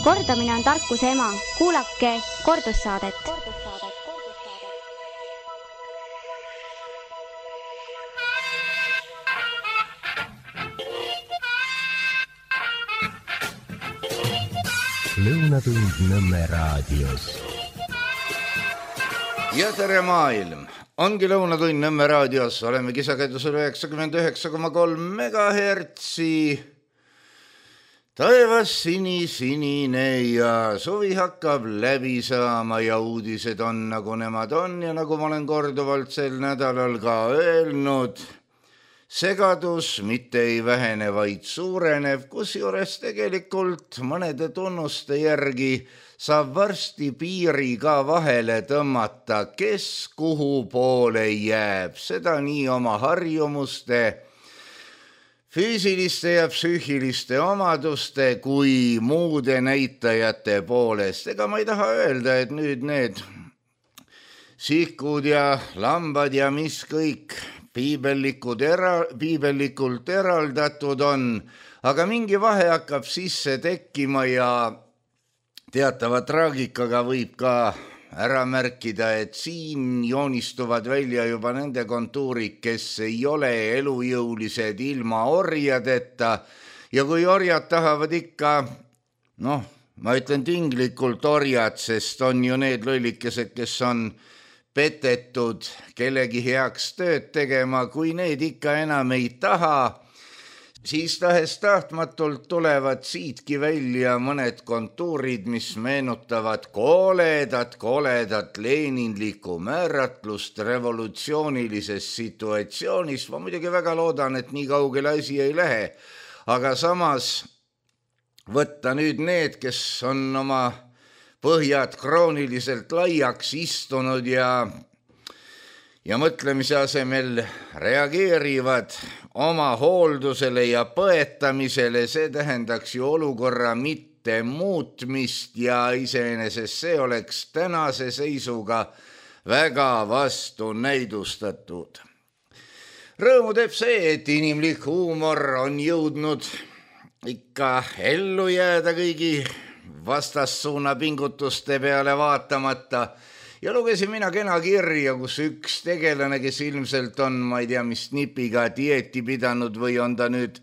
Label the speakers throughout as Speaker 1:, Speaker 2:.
Speaker 1: Kordamine on tarkuse ema. Kuulake kordussaadet.
Speaker 2: Lõunatund Nõmme raadios.
Speaker 3: Ja tere maailm! Ongi Lõunatund Nõmme raadios. Oleme kisakäidusel 99,3 megahertsi. Taevas sinine ja suvi hakkab läbi saama ja uudised on nagu nemad on ja nagu ma olen korduvalt sel nädalal ka öelnud, segadus mitte ei vähene, vaid suurenev, kusjuures tegelikult mõnede tunnuste järgi saab varsti piiri ka vahele tõmmata, kes kuhu poole jääb, seda nii oma harjumuste, füüsiliste ja psüühiliste omaduste kui muude näitajate poolest. Ega ma ei taha öelda, et nüüd need sihkud ja lambad ja mis kõik piibellikult eraldatud on, aga mingi vahe hakkab sisse tekkima ja teatava traagikaga võib ka ära märkida, et siin joonistuvad välja juba nende kontuurid, kes ei ole elujõulised ilma orjadeta ja kui orjad tahavad ikka, ma ütlen tinglikult orjad, sest on ju need lollikesed, kes on petetud kellegi heaks tööd tegema, kui need ikka enam ei taha, siis tahes tahtmatult tulevad siitki välja mõned kontuurid, mis meenutavad koledat leeninlikku määratlust revolutsioonilises situatsioonis. Ma muidugi väga loodan, et nii kaugele asi ei lähe, aga samas võtta nüüd need, kes on oma põhjad krooniliselt laiaks istunud ja mõtlemise asemel reageerivad oma hooldusele ja põetamisele, see tähendaks ju olukorra mitte muutmist ja iseenesest see oleks tänase seisuga väga vastunäidustatud. Rõõmu teeb see, et inimlik huumor on jõudnud ikka ellu jääda kõigi vastassuuna pingutuste peale vaatamata. Ja lugesin mina kena kirja, kus üks tegelane, kes ilmselt on, ma ei tea, mis nipiga dieeti pidanud või on ta nüüd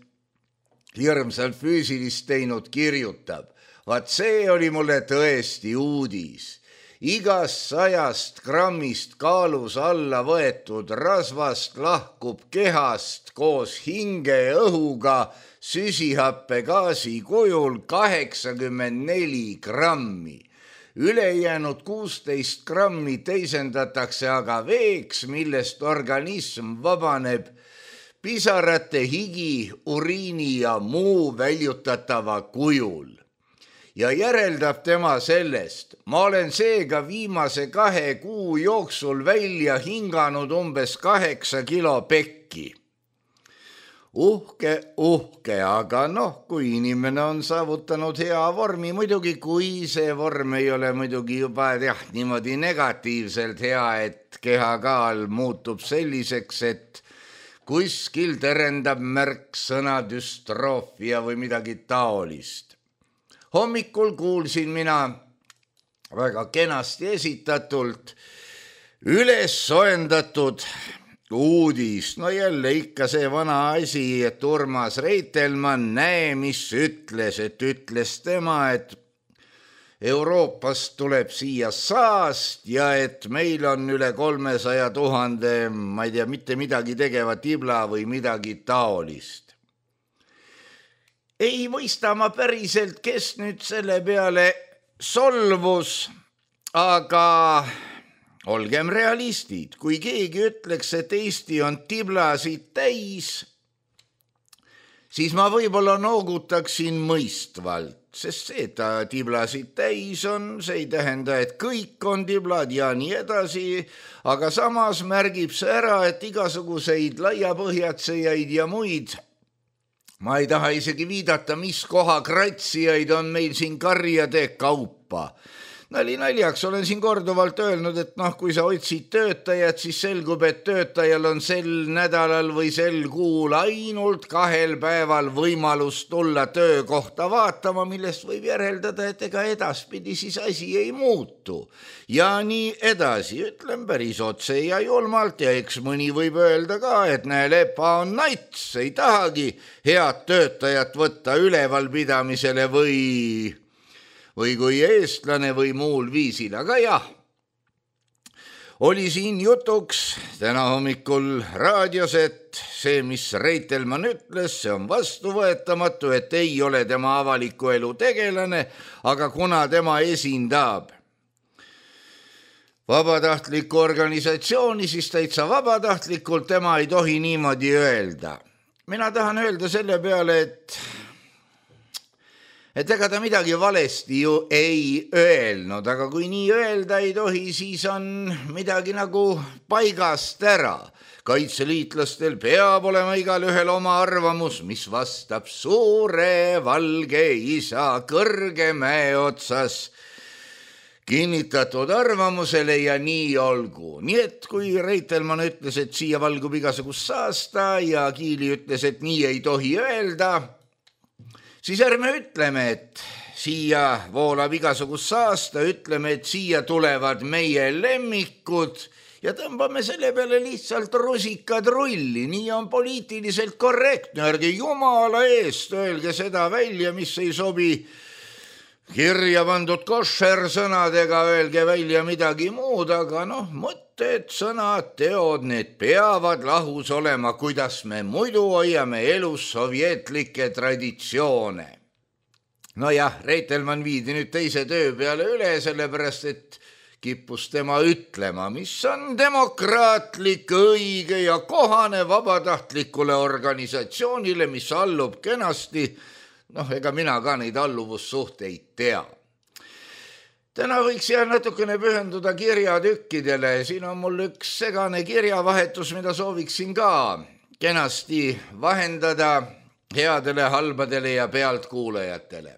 Speaker 3: hirmsalt füüsilist teinud, kirjutab. Vaat see oli mulle tõesti uudis. Igast 100 grammist kaalus alla võetud rasvast lahkub kehast koos hinge õhuga süsihappegaasi kujul 84 grammi. Ülejäänud 16 grammi teisendatakse aga veeks, millest organism vabaneb pisarate, higi, uriini ja muu väljutatava kujul. Ja järeldab tema sellest, ma olen seega viimase 2 kuu jooksul välja hinganud umbes 8 kilo pekki. Uhke, aga kui inimene on saavutanud hea vormi, muidugi kui see vorm ei ole muidugi juba niimoodi negatiivselt hea, et kehakaal muutub selliseks, et kuskil terendab märksõna düstroofia või midagi taolist. Hommikul kuulsin mina väga kenasti esitatult üles soendatud uudis. Jälle ikka see vana asi, et Urmas Reitelmann, näe mis ütles tema, et Euroopast tuleb siia saast ja et meil on üle 300 000, ma ei tea, mitte midagi tegeva tibla või midagi taolist. Ei mõista ma päriselt, kes nüüd selle peale solvus, aga olgem realistid, kui keegi ütleks, et Eesti on tiblasid täis, siis ma võib-olla noogutaksin mõistvalt, sest see, et ta tiblasid täis on, see ei tähenda, et kõik on tiblad ja nii edasi, aga samas märgib see ära, et igasuguseid laiapõhjatsejaid ja muid, ma ei taha isegi viidata, mis koha kratsijaid on meil siin karjade kaupa. Nali naljaks olen siin korduvalt öelnud, et kui sa otsid töötajat, siis selgub, et töötajal on sel nädalal või sel kuul ainult 2 päeval võimalus tulla töökohta vaatama, millest võib järeldada, et ega edaspidi siis asi ei muutu. Ja nii edasi, ütlen päris otse ja julmalt ja eks mõni võib öelda ka, et näe, Lepa on nats, ei tahagi head töötajat võtta ülevalpidamisele või kui eestlane või muul viisil, aga jah, oli siin jutuks täna hommikul raadios, et see, mis Reitelmann ütles, see on vastuvõetamatu, et ei ole tema avaliku elu tegelane, aga kuna tema esindab vabatahtlikku organisatsiooni, siis täitsa vabatahtlikult tema ei tohi niimoodi öelda. Mina tahan öelda selle peale, et ega ta midagi valesti ju ei öelnud, aga kui nii öelda ei tohi, siis on midagi nagu paigast ära. Kaitseliitlastel peab olema igal ühel oma arvamus, mis vastab suure valge isa Kõrgemäe otsas kinnitatud arvamusele ja nii olgu. Nii et kui Reitelmann ütles, et siia valgub igasugust saasta ja Kiili ütles, et nii ei tohi öelda, siis ärme ütleme, et siia voolab igasugust saasta, ütleme, et siia tulevad meie lemmikud ja tõmbame selle peale lihtsalt rusikad rulli. Nii on poliitiliselt korrektne, ärge jumala eest öelge seda välja, mis ei sobi kirja pandud košer sõnadega, öelge välja midagi muud, aga mõtted, sõnad, teod, need peavad lahus olema, kuidas me muidu hoiame elus sovjetlikke traditsioone. Nojah, Reitelmann viidi nüüd teise töö peale üle, sellepärast et kippus tema ütlema, mis on demokraatlik, õige ja kohane vabatahtlikule organisatsioonile, mis allub kenasti. Ega mina ka neid alluvussuhteid tea. Täna võiks natukene pühenduda kirjatükkidele. Siin on mul üks segane kirjavahetus, mida sooviksin ka kenasti vahendada headele, halbadele ja pealtkuulajatele.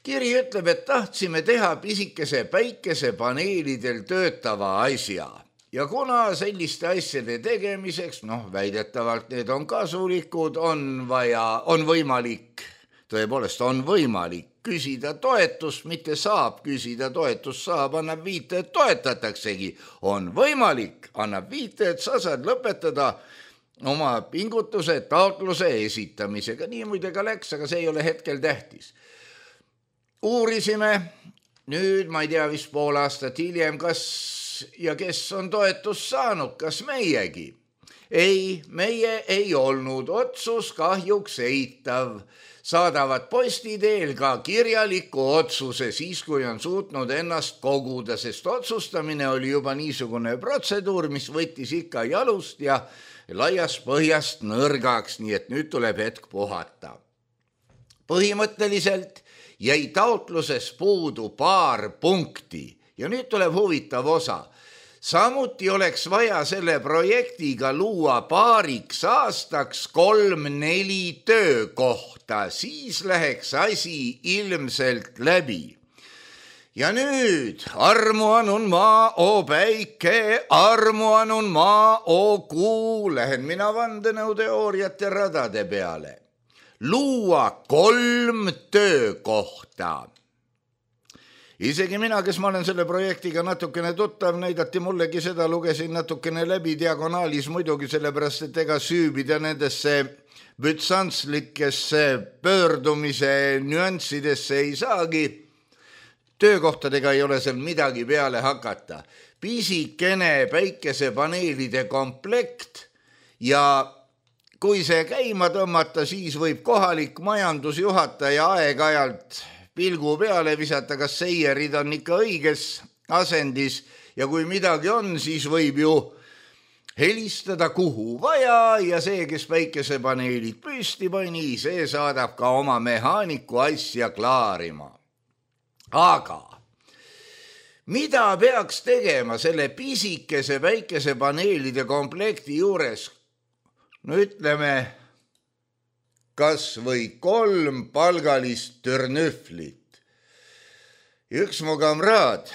Speaker 3: Kiri ütleb, et tahtsime teha pisikese päikesepaneelidel töötava asja. Ja kuna selliste asjade tegemiseks, väidetavalt need on kasulikud, on võimalik, tõepoolest on võimalik küsida toetust, mitte saab küsida toetust, saab, annab viite, et toetataksegi. On võimalik, annab viite, et sa saad lõpetada oma pingutuse taotluse esitamisega. Nii muide ka läks, aga see ei ole hetkel tähtis. Uurisime nüüd, ma ei tea, vist pool aastat hiljem, kas ja kes on toetust saanud, kas meiegi? Ei, meie ei olnud, otsus kahjuks eitav. Saadavad posti teel ka kirjaliku otsuse siis, kui on suutnud ennast koguda, sest otsustamine oli juba niisugune protseduur, mis võttis ikka jalust ja laiast põhjast nõrgaks, nii et nüüd tuleb hetk puhata. Põhimõtteliselt jäi taotluses puudu paar punkti ja nüüd tuleb huvitav osa. Samuti oleks vaja selle projektiga luua paariks aastaks 3-4 töökohta, siis läheks asi ilmselt läbi. Ja nüüd armu anun maa, o päike, armu anun maa, o kuu, lähen mina vandenõuteooriate radade peale. Luua 3 töökohta. Isegi mina, kes ma olen selle projektiga natukene tuttav, näidati mullegi seda, lugesin natukene läbi diagonaalis muidugi, sellepärast et ega süübida nendesse bütsantslikesse pöördumise nüanssidesse ei saagi. Töökohtadega ei ole seal midagi peale hakata. Pisikene päikesepaneelide komplekt ja kui see käima tõmmata, siis võib kohalik majandusjuhataja aeg-ajalt pilgu peale visata, kas seierid on ikka õiges asendis ja kui midagi on, siis võib ju helistada kuhu vaja ja see, kes päikesepaneelid püsti pani, see saadab ka oma mehaaniku asja klaarima. Aga mida peaks tegema selle pisikese päikesepaneelide komplekti juures? No ütleme, kas või 3 palgalist türnüflit. Ja üks mu kamraad,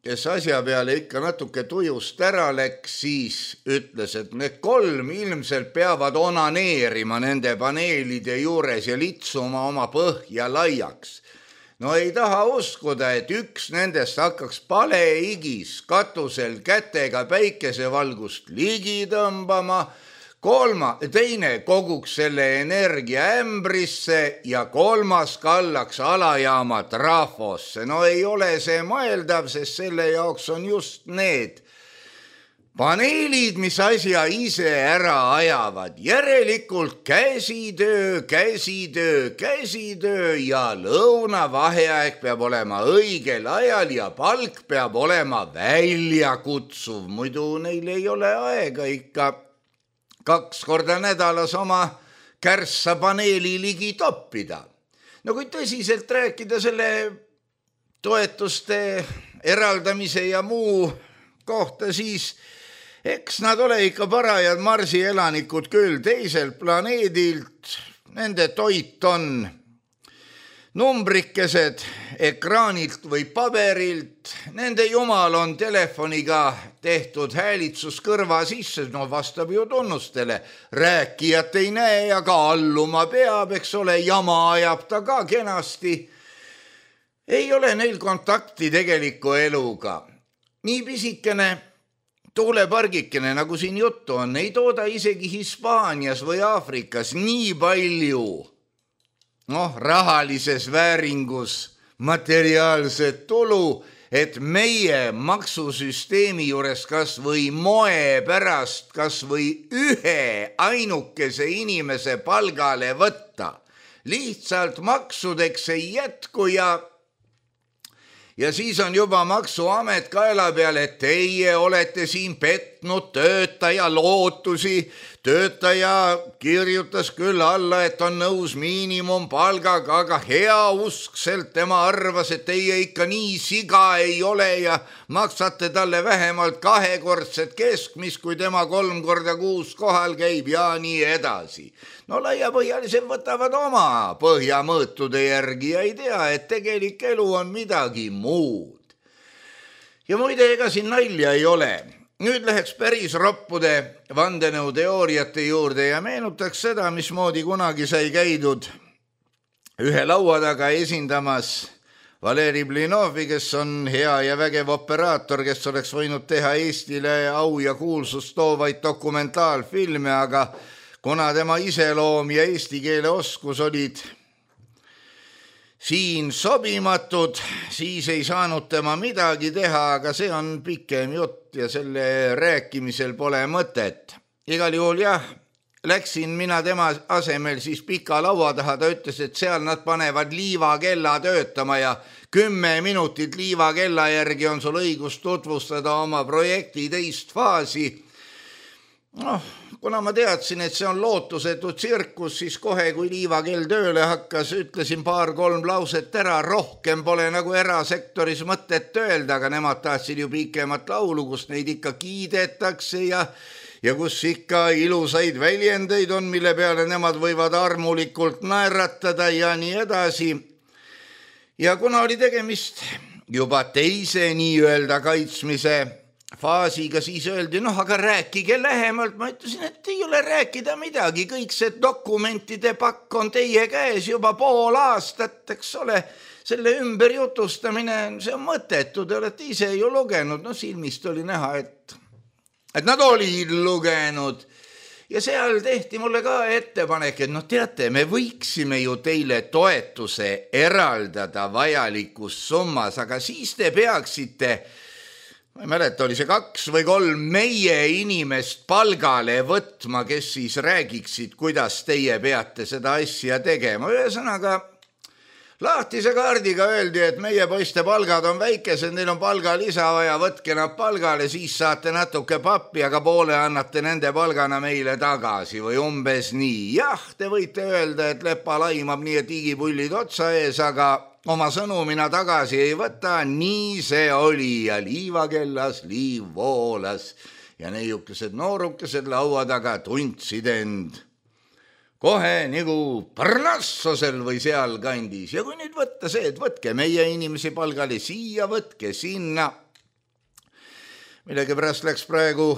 Speaker 3: kes asja peale ikka natuke tujust ära läks, siis ütles, et need 3 ilmselt peavad onaneerima nende paneelide juures ja litsuma oma põhja laiaks. No ei taha uskuda, et üks nendest hakkaks paleigis katusel kätega päikesevalgust ligi tõmbama, teine koguks selle energia ämbrisse ja 3. kallaks alajaama trafosse. No ei ole see mõeldav, sest selle jaoks on just need paneelid, mis asja ise ära ajavad. Järelikult käsitöö ja lõunavaheaeg peab olema õigel ajal ja palk peab olema väljakutsuv. Muidu neil ei ole aega ikka 2 korda nädalas oma kärssa paneeli ligi toppida. No kui tõsiselt rääkida selle toetuste eraldamise ja muu kohta, siis eks nad ole ikka parajad marsielanikud küll teiselt planeedilt. Nende toit on numbrikesed ekraanilt või paberilt. Nende jumal on telefoniga tehtud häälitsus kõrva sisse, no vastab ju tunnustele. Rääkijat ei näe ja ka alluma peab, eks ole, jama ajab ta ka kenasti. Ei ole neil kontakti tegeliku eluga. Nii pisikene tuulepargikene, nagu siin juttu on, ei tooda isegi Hispaanias või Aafrikas nii palju rahalises vääringus materiaalset tulu, et meie maksusüsteemi juures kas või moe pärast kas või ühe ainukese inimese palgale võtta. Lihtsalt maksudeks ei jätku ja siis on juba maksuamet kaela peal, et teie olete siin petnud töötaja lootusi. Töötaja kirjutas küll alla, et on nõus miinimumpalgaga, aga heauskselt tema arvas, et teie ikka nii siga ei ole ja maksate talle vähemalt 2-kordset keskmist, kui tema 3 korda kuus kohal käib ja nii edasi. No laiapõhjalised võtavad oma põhjamõõtude järgi ja ei tea, et tegelik elu on midagi muud. Ja muide, ega siin nalja ei ole. Nüüd läheks päris roppude vandenõuteooriate juurde ja meenutaks seda, mismoodi kunagi sai käidud ühe laua taga esindamas Valeri Blinovi, kes on hea ja vägev operaator, kes oleks võinud teha Eestile au ja kuulsust toovaid dokumentaalfilme, aga kuna tema iseloom ja eesti keele oskus olid siin sobimatud, siis ei saanud tema midagi teha, aga see on pikem jutt ja selle rääkimisel pole mõtet. Igal juhul jah, läksin mina tema asemel siis pika laua taha, ta ütles, et seal nad panevad liivakella töötama ja 10 minutit liivakella järgi on sul õigus tutvustada oma projekti teist faasi. Kuna ma teadsin, et see on lootusetu tsirkus, siis kohe, kui liivakell tööle hakkas, ütlesin 2-3 lauset ära, rohkem pole nagu erasektoris mõtet öelda, aga nemad tahtsid ju pikemat laulu, kus neid ikka kiidetakse ja kus ikka ilusaid väljendeid on, mille peale nemad võivad armulikult naeratada ja nii edasi. Ja kuna oli tegemist juba teise nii-öelda kaitsmise faasiga, siis öeldi, aga rääkige lähemalt. Ma ütlesin, et ei ole rääkida midagi, kõik see dokumentide pakk on teie käes juba 5 aastat, eks ole. Selle ümber jutustamine, see on mõttetu, te olete ise ju lugenud, silmist oli näha, et nad olid lugenud. Ja seal tehti mulle ka ettepanek, et teate, me võiksime ju teile toetuse eraldada vajalikus summas, aga siis te peaksite, ma ei mäleta, oli see 2 või 3 meie inimest palgale võtma, kes siis räägiksid, kuidas teie peate seda asja tegema. Ühesõnaga, lahtise kaardiga öeldi, et meie poiste palgad on väikesed, neil on palgalisa vaja, võtke nad palgale, siis saate natuke pappi, aga poole annate nende palgana meile tagasi või umbes nii. Jah, te võite öelda, et Lepa laimab nii, et igipullid otsa ees, aga oma sõnumina tagasi ei võta, nii see oli ja liivakellas liiv voolas ja neiukesed noorukesed laua taga tundsid end kohe nagu Parnassosel või seal kandis. Ja kui nüüd võtta see, et võtke meie inimesi palgali siia, võtke sinna. Millegipärast läks praegu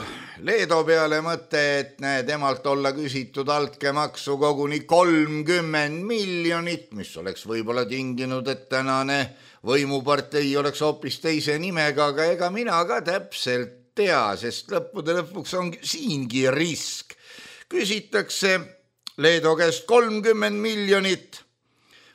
Speaker 3: Leedo peale mõte, et temalt olla küsitud altkäemaksu koguni 30 miljonit, mis oleks võib-olla tinginud, et tänane võimupartei oleks hoopis teise nimega, aga ega mina ka täpselt tea, sest lõppude lõpuks on siingi risk. Küsitakse Leedo käest 30 miljonit.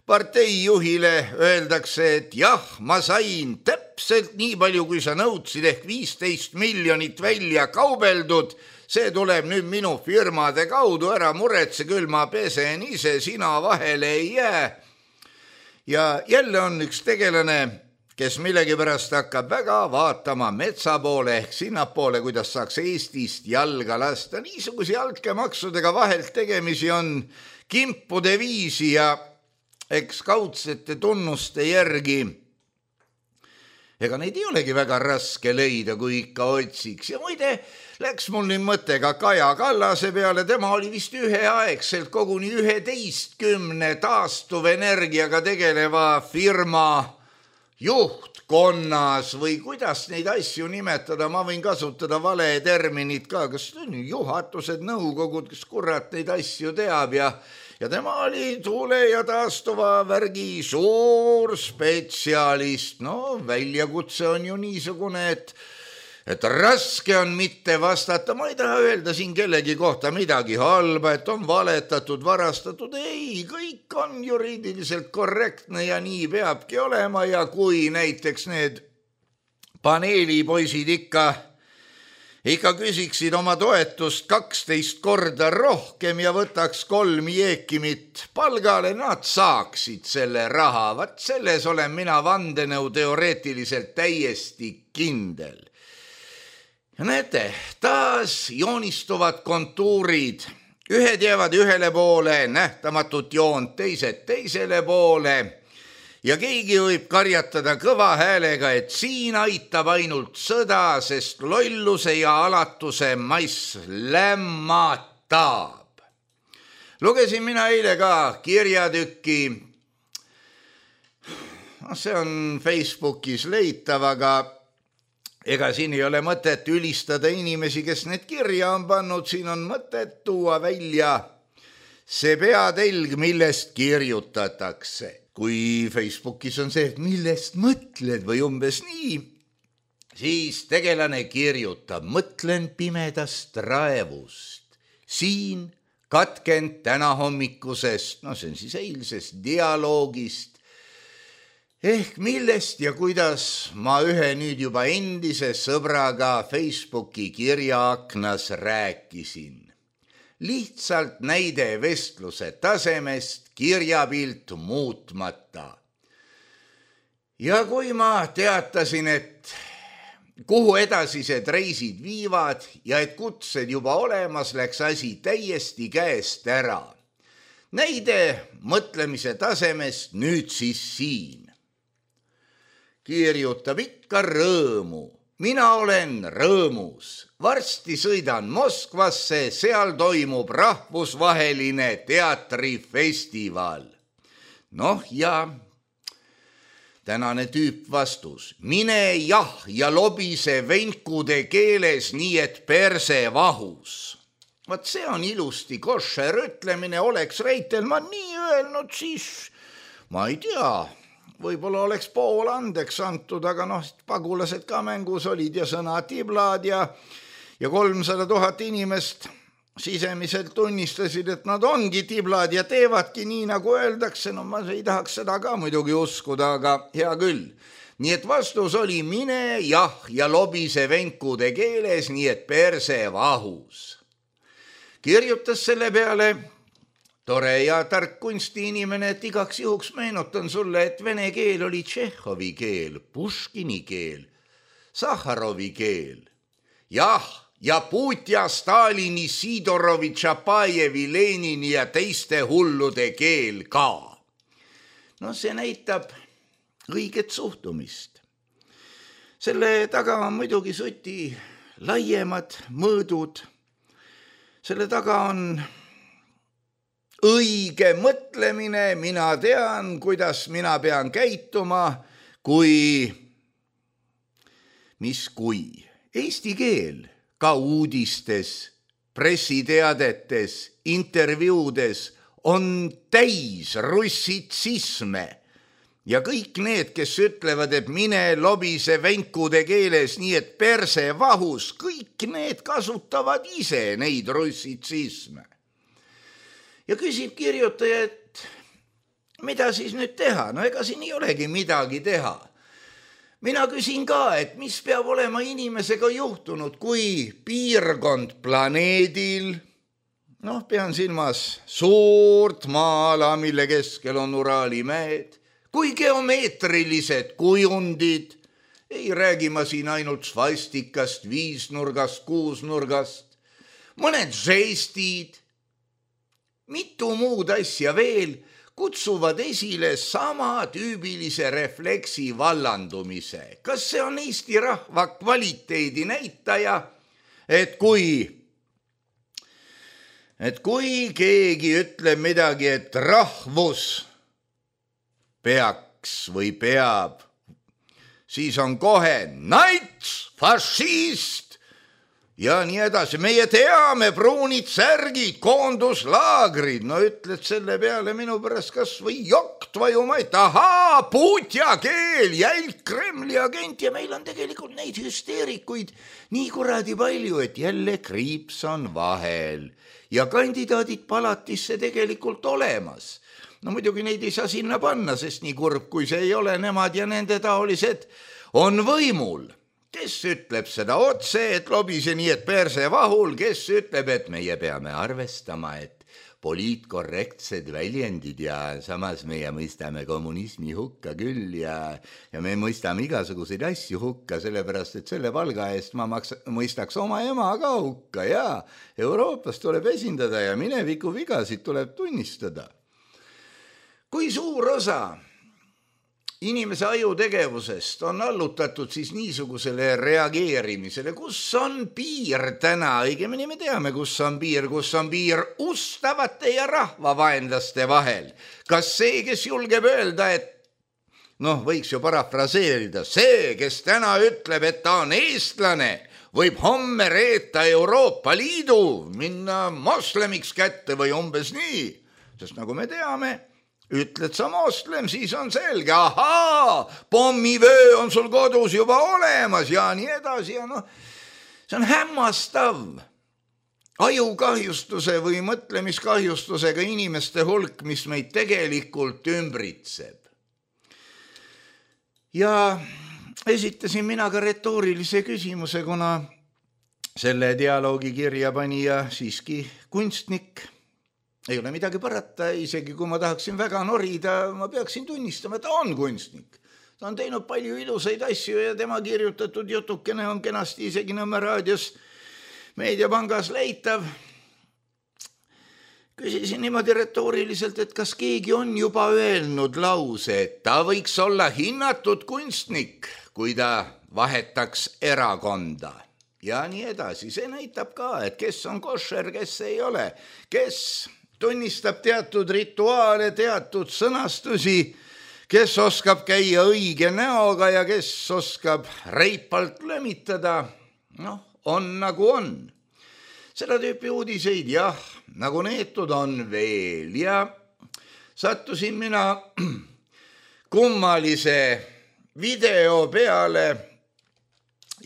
Speaker 3: Parteijuhile öeldakse, et jah, ma sain täpselt nii palju, kui sa nõudsid, ehk 15 miljonit välja kaubeldud. See tuleb nüüd minu firmade kaudu, ära muretse, küll ma pesen ise, sina vahele ei jää. Ja jälle on üks tegelane, kes millegipärast hakkab väga vaatama metsa poole ehk sinnapoole, kuidas saaks Eestist jalga lasta. Niisuguse altkäemaksudega vahelt tegemisi on kimpude viisi ja eks kaudsete tunnuste järgi. Ega neid ei olegi väga raske leida, kui ikka otsiks. Ja muide, läks mul nüüd mõte ka Kaja Kallase peale. Tema oli vist üheaegselt koguni 11 taastuvenergiaga tegeleva firma juhtkonnas või kuidas neid asju nimetada. Ma võin kasutada vale terminit ka, kas juhatused, nõukogud, kes kurat neid asju teab ja tema oli tuule ja taastuva värgi suur spetsialist. No väljakutse on ju niisugune, et raske on mitte vastata. Ma ei taha öelda siin kellegi kohta midagi halba, et on valetatud, varastatud. Ei, kõik on juriidiliselt korrektne ja nii peabki olema. Ja kui näiteks need paneelipoisid ikka küsiksid oma toetust 12 korda rohkem ja võtaks 3 jeekimit palgale, nad saaksid selle raha. Vat selles olen mina vandenõu teoreetiliselt täiesti kindel. Ja näete, taas joonistuvad kontuurid. Ühed jäävad ühele poole, nähtamatut joont, teised teisele poole. Ja keegi võib karjatada kõva häälega, et siin aitab ainult sõda, sest lolluse ja alatuse mass lämmatab. Lugesin mina eile ka kirjatükki. See on Facebookis leitav, aga ega siin ei ole mõtet ülistada inimesi, kes need kirja on pannud. Siin on mõtet tuua välja see peatelg, millest kirjutatakse. Kui Facebookis on see, et millest mõtled või umbes nii, siis tegelane kirjutab, mõtlen pimedast raevust. Siin katkend täna hommikusest, see on siis eilsest dialoogist, ehk millest ja kuidas ma ühe nüüd juba endise sõbraga Facebooki kirjaaknas rääkisin. Lihtsalt näide vestluse tasemest, kirjapilt muutmata. Ja kui ma teatasin, et kuhu edasised reisid viivad ja et kutsed juba olemas, läks asi täiesti käest ära. Näide mõtlemise tasemest nüüd siis siin. Kirjutab ikka rõõmu. Mina olen rõõmus. Varsti sõidan Moskvasse, seal toimub rahvusvaheline teatrifestival. Ja tänane tüüp vastus. Mine jah ja lobise venkude keeles nii, et perse vahus. Vaat see on ilusti košer ütlemine, oleks Reitelmann nii öelnud, siis ma ei tea. Võib-olla oleks pool andeks antud, aga pagulased ka mängus olid ja sõna tiblad ja 300 000 inimest sisemiselt tunnistasid, et nad ongi tiblad ja teevadki nii, nagu öeldakse. Ma ei tahaks seda ka muidugi uskuda, aga hea küll. Nii et vastus oli mine jah ja lobise venkude keeles, nii et perse vahus. Kirjutas selle peale tore ja tark kunstiinimene, et igaks juhuks meenutan sulle, et vene keel oli Tšehhovi keel, Puškini keel, Sahharovi keel. Jah, ja Putja, Stalini, Sidorovi, Tšapajevi, Lenini ja teiste hullude keel ka. See näitab õiget suhtumist. Selle taga on muidugi suti laiemad mõõdud. Selle taga on õige mõtlemine, mina tean, kuidas mina pean käituma, kui eesti keel ka uudistes, pressiteadetes, intervjuudes on täis russitsisme ja kõik need, kes ütlevad, et mine lobise venkude keeles, nii et perse vahus, kõik need kasutavad ise neid russitsisme. Ja küsib kirjutaja, et mida siis nüüd teha? No ega siin ei olegi midagi teha. Mina küsin ka, et mis peab olema inimesega juhtunud, kui piirkond planeedil, pean silmas suurt maala, mille keskel on Uraali mäed, kui geomeetrilised kujundid, ei räägi ma siin ainult svastikast, viisnurgast, kuusnurgast, mõned žestid, mitu muud asja veel kutsuvad esile sama tüübilise refleksi vallandumise. Kas see on Eesti rahva kvaliteedi näitaja, et kui keegi ütleb midagi, et rahvus peaks või peab, siis on kohe nats, fašist ja nii edasi. Meie teame, pruunid särgid, koonduslaagrid. No ütled selle peale minu pärast kas või jokk vajuma, et ahaa, puutja keel, jälg Kremli agent ja meil on tegelikult neid hüsteerikuid nii kuradi palju, et jälle kriips on vahel ja kandidaadid palatisse tegelikult olemas. No muidugi neid ei saa sinna panna, sest nii kurb kui see ei ole, nemad ja nende taolised on võimul. Kes ütleb seda otse, et lobise nii, et perse vahul, kes ütleb, et meie peame arvestama, et poliitkorrektsed väljendid ja samas meie mõistame kommunismi hukka küll ja me mõistame igasuguseid asju hukka, sellepärast, et selle palga eest ma mõistaks oma ema ka hukka ja Euroopas tuleb esindada ja mineviku vigasid tuleb tunnistada. Kui suur osa inimese ajutegevusest on allutatud siis niisugusele reageerimisele, kus on piir täna, õigemini me teame, kus on piir ustavate ja rahvavaenlaste vahel. Kas see, kes julgeb öelda, et võiks ju parafraseerida, see, kes täna ütleb, et ta on eestlane, võib homme reeta Euroopa Liidu, minna moslemiks kätte või umbes nii, sest nagu me teame, ütled sa moslem, siis on selge, ahaa, pommivöö on sul kodus juba olemas ja nii edasi ja see on hämmastav ajukahjustuse või mõtlemiskahjustusega inimeste hulk, mis meid tegelikult ümbritseb. Ja esitasin mina ka retoorilise küsimuse, kuna selle dialoogi kirja panija siiski kunstnik. Ei ole midagi parata, isegi kui ma tahaksin väga norida, ma peaksin tunnistama, et ta on kunstnik. Ta on teinud palju ilusaid asju ja tema kirjutatud jutukene on kenasti isegi Nõmme raadios Meediapangas leitav. Küsisin niimoodi retooriliselt, et kas keegi on juba öelnud lause, et ta võiks olla hinnatud kunstnik, kui ta vahetaks erakonda. Ja nii edasi. See näitab ka, et kes on košer, kes ei ole, kes tunnistab teatud rituaale, teatud sõnastusi, kes oskab käia õige näoga ja kes oskab reipalt lömitada, on nagu on. Seda tüüpi uudiseid, jah, nagu neetud on veel ja sattusin mina kummalise video peale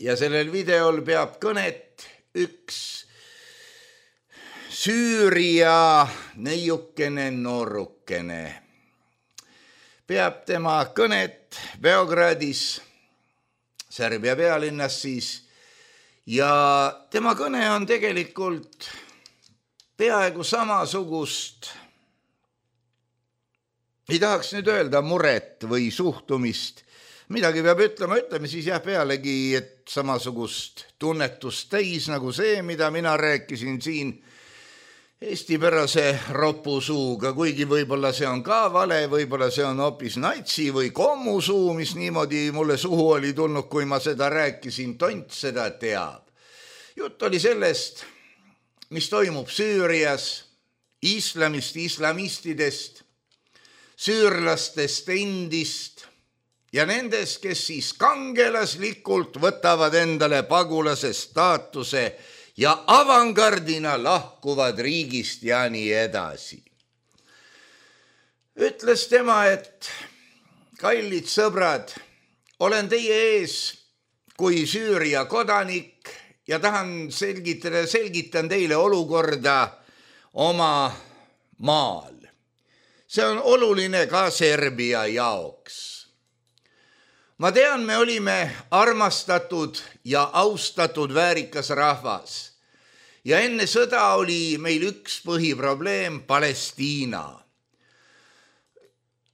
Speaker 3: ja sellel videol peab kõnet üks Süüria neiukene noorukene. Peab tema kõnet Beogradis, Serbia pealinnas siis, ja tema kõne on tegelikult peaaegu samasugust, ei tahaks nüüd öelda muret või suhtumist, midagi peab ütleme siis jah pealegi, et samasugust tunnetust täis nagu see, mida mina rääkisin siin eestipärase ropusuuga, kuigi võib-olla see on ka vale, võib-olla see on hoopis natsi või kommusuu, mis niimoodi mulle suhu oli tulnud, kui ma seda rääkisin, tont seda teab. Jutt oli sellest, mis toimub Süürias, islamist, islamistidest, süürlastest endist ja nendest, kes siis kangelaslikult võtavad endale pagulase staatuse ja avangardina lahkuvad riigist ja nii edasi. Ütles tema, et kallid sõbrad, olen teie ees kui Süüria kodanik ja tahan selgitan teile olukorda oma maal. See on oluline ka Serbia jaoks. Ma tean, me olime armastatud ja austatud väärikas rahvas ja enne sõda oli meil üks põhiprobleem, Palestiina.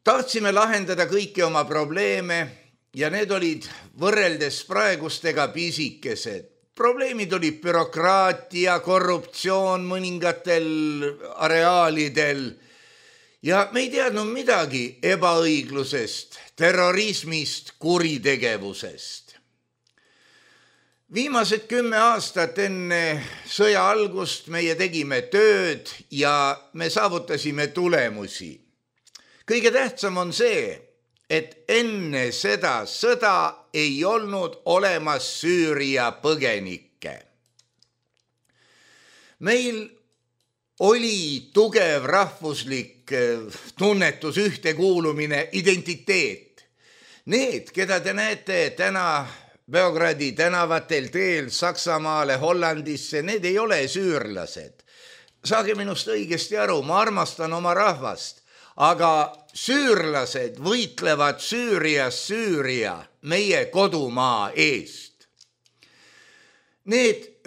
Speaker 3: Tahtsime lahendada kõiki oma probleeme ja need olid võrreldes praegustega pisikesed. Probleemid olid bürokraatia, korruptsioon mõningatel areaalidel ja me ei teadnud midagi ebaõiglusest, terrorismist, kuritegevusest. Viimased 10 aastat enne sõja algust meie tegime tööd ja me saavutasime tulemusi. Kõige tähtsam on see, et enne seda sõda ei olnud olemas Süüria põgenikke. Meil oli tugev rahvuslik tunnetus, ühtekuulumine, identiteet. Need, keda te näete täna Beogradi tänavatel teel Saksamaale, Hollandisse, need ei ole süürlased. Saage minust õigesti aru, ma armastan oma rahvast. Aga süürlased võitlevad Süürias Süüria, meie kodumaa eest. Need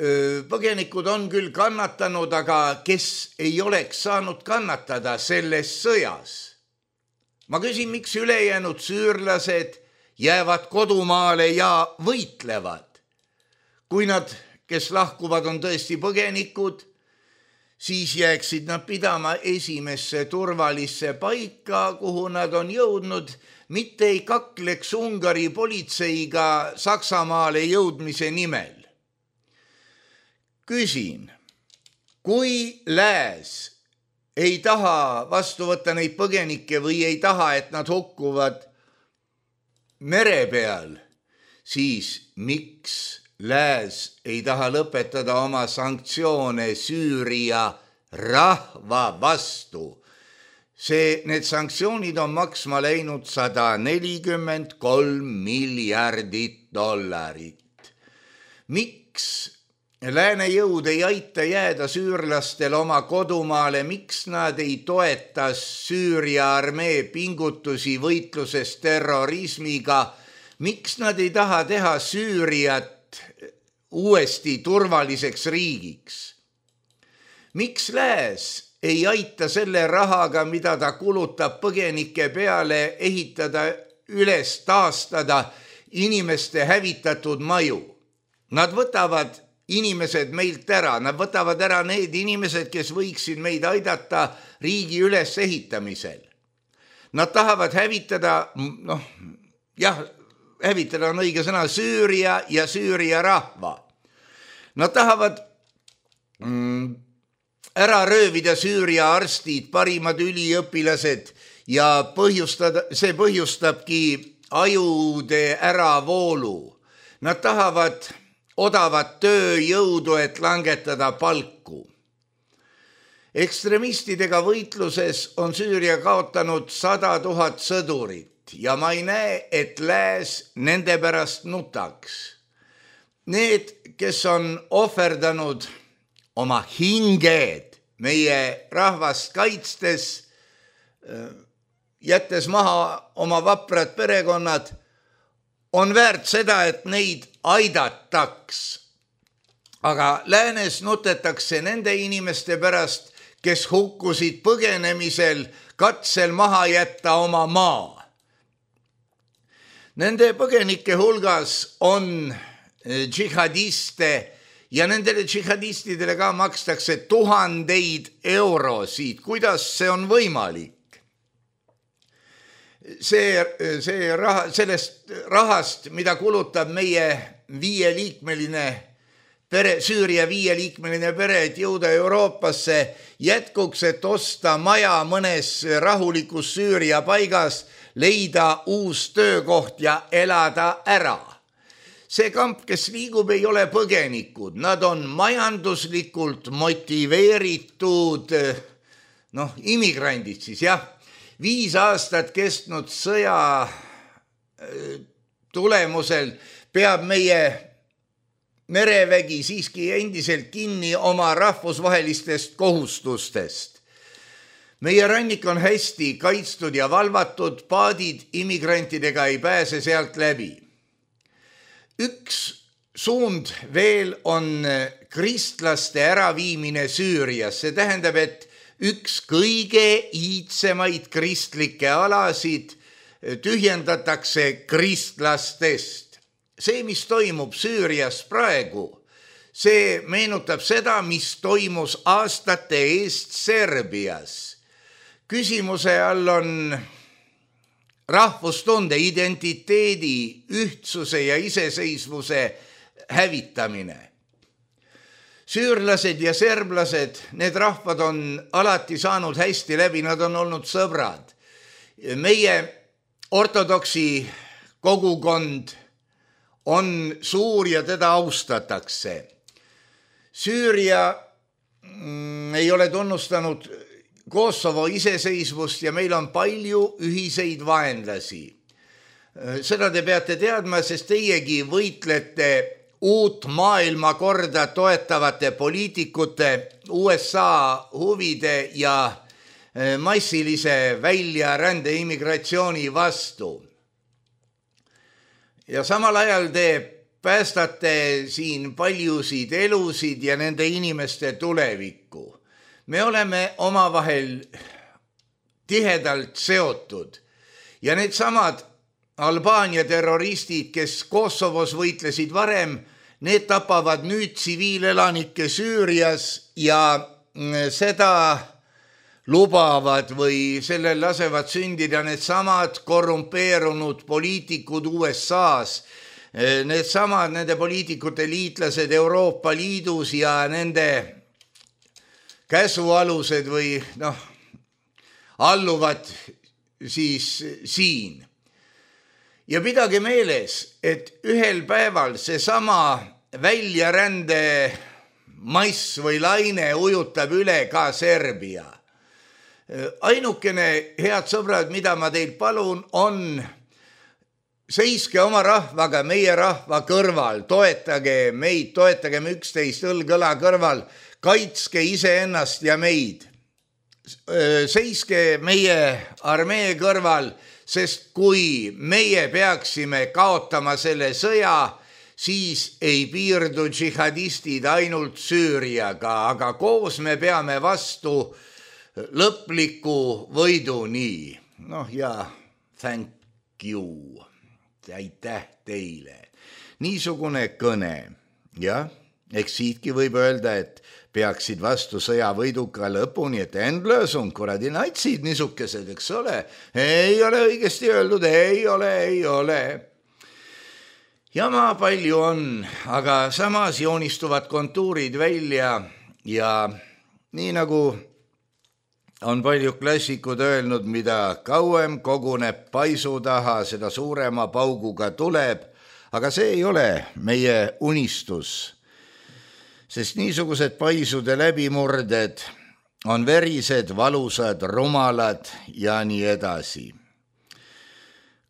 Speaker 3: põgenikud on küll kannatanud, aga kes ei oleks saanud kannatada selles sõjas? Ma küsin, miks ülejäänud süürlased jäävad kodumaale ja võitlevad? Kui nad, kes lahkuvad, on tõesti põgenikud, siis jääksid nad pidama esimesse turvalisse paika, kuhu nad on jõudnud, mitte ei kakleks Ungari politseiga Saksamaale jõudmise nimel. Küsin, kui lääs ei taha vastu võtta neid põgenikke või ei taha, et nad hukkuvad mere peal, siis miks lääs ei taha lõpetada oma sanktsioone Süüria rahva vastu? Need sanktsioonid on maksma läinud $143 miljardit. Miks lääne jõud ei aita jääda süürlastel oma kodumaale? Miks nad ei toeta Süüria armee pingutusi võitluses terrorismiga? Miks nad ei taha teha Süüriat uuesti turvaliseks riigiks? Miks lääs ei aita selle rahaga, mida ta kulutab põgenike peale, ehitada üles, taastada inimeste hävitatud maju? Nad võtavad inimesed meilt ära, nad võtavad ära need inimesed, kes võiksid meid aidata riigi ülesehitamisel. Nad tahavad hävitada, hävitada on õige sõna, Süüria ja Süüria rahva. Nad tahavad ära röövida Süüria arstid, parimad üliõpilased ja see põhjustabki ajude äravoolu. Nad tahavad odavat tööjõudu, et langetada palku. Ekstremistidega võitluses on Süüria kaotanud 100 000 sõdurit ja ma ei näe, et lääs nende pärast nutaks. Need, kes on ohverdanud oma hinged meie rahvast kaitstes, jättes maha oma vaprad perekonnad, on väärt seda, et neid aidataks. Aga läänes nutetakse nende inimeste pärast, kes hukkusid põgenemisel, katsel maha jätta oma maa. Nende põgenike hulgas on džihadiste ja nendele džihadistidele ka makstakse 1000 eurosid. Kuidas see on võimalik? Sellest rahast, mida kulutab meie 5-liikmeline Süüria 5-liikmeline pere, et jõuda Euroopasse jätkuks, et osta maja mõnes rahulikus Süüria paigas, leida uus töökoht ja elada ära. See kamp, kes liigub, ei ole põgenikud, nad on majanduslikult motiveeritud, immigrandid siis, jah. 5 aastat kestnud sõja tulemusel peab meie merevägi siiski endiselt kinni oma rahvusvahelistest kohustustest. Meie rannik on hästi kaitstud ja valvatud, paadid immigrantidega ei pääse sealt läbi. Üks suund veel on kristlaste äraviimine Süürias. See tähendab, et üks kõige iidsemaid kristlikke alasid tühjendatakse kristlastest. See, mis toimub Süürias praegu, see meenutab seda, mis toimus aastate eest Serbias. Küsimuse all on rahvustunde, identiteedi, ühtsuse ja iseseisvuse hävitamine. Süürlased ja serblased, need rahvad on alati saanud hästi läbi, nad on olnud sõbrad. Meie ortodoksi kogukond on suur ja teda austatakse. Süüria ei ole tunnustanud Kosovo iseseisvust ja meil on palju ühiseid vaenlasi. Seda te peate teadma, sest teiegi võitlete uut maailmakorda toetavate poliitikute, USA huvide ja massilise väljarände immigratsiooni vastu. Ja samal ajal te päästate siin paljusid elusid ja nende inimeste tulevikku. Me oleme omavahel tihedalt seotud ja need samad Albaania terroristid, kes Kosovos võitlesid varem, need tapavad nüüd tsiviilelanikke Süürias ja seda lubavad või sellel lasevad sündida need samad korrumpeerunud poliitikud USA-s, need samad nende poliitikute liitlased Euroopa Liidus ja nende käsualused või alluvad siis siin. Ja pidage meeles, et ühel päeval seesama väljarände mass või laine ujutab üle ka Serbia. Ainukene, head sõbrad, mida ma teilt palun, on seiske oma rahvaga, meie rahva kõrval, toetage meid, toetagem üksteist õlg-õla kõrval, kaitske iseennast ja meid. Seiske meie armee kõrval, sest kui meie peaksime kaotama selle sõja, siis ei piirdu džihadistid ainult Süüriaga, aga koos me peame vastu lõpliku võiduni. Thank you. Aitäh teile. Niisugune kõne. Ja, eks siitki võib öelda, et peaksid vastu sõja võiduka lõpuni, et endlösung, kuradi natsid niisukesed, eks ole. Ei ole õigesti öeldud, ei ole. Jama palju on, aga samas joonistuvad kontuurid välja ja nii nagu on palju klassikud öelnud, mida kauem koguneb paisu taha, seda suurema pauguga tuleb, aga see ei ole meie unistus, sest niisugused paisude läbimurded on verised, valusad, rumalad ja nii edasi.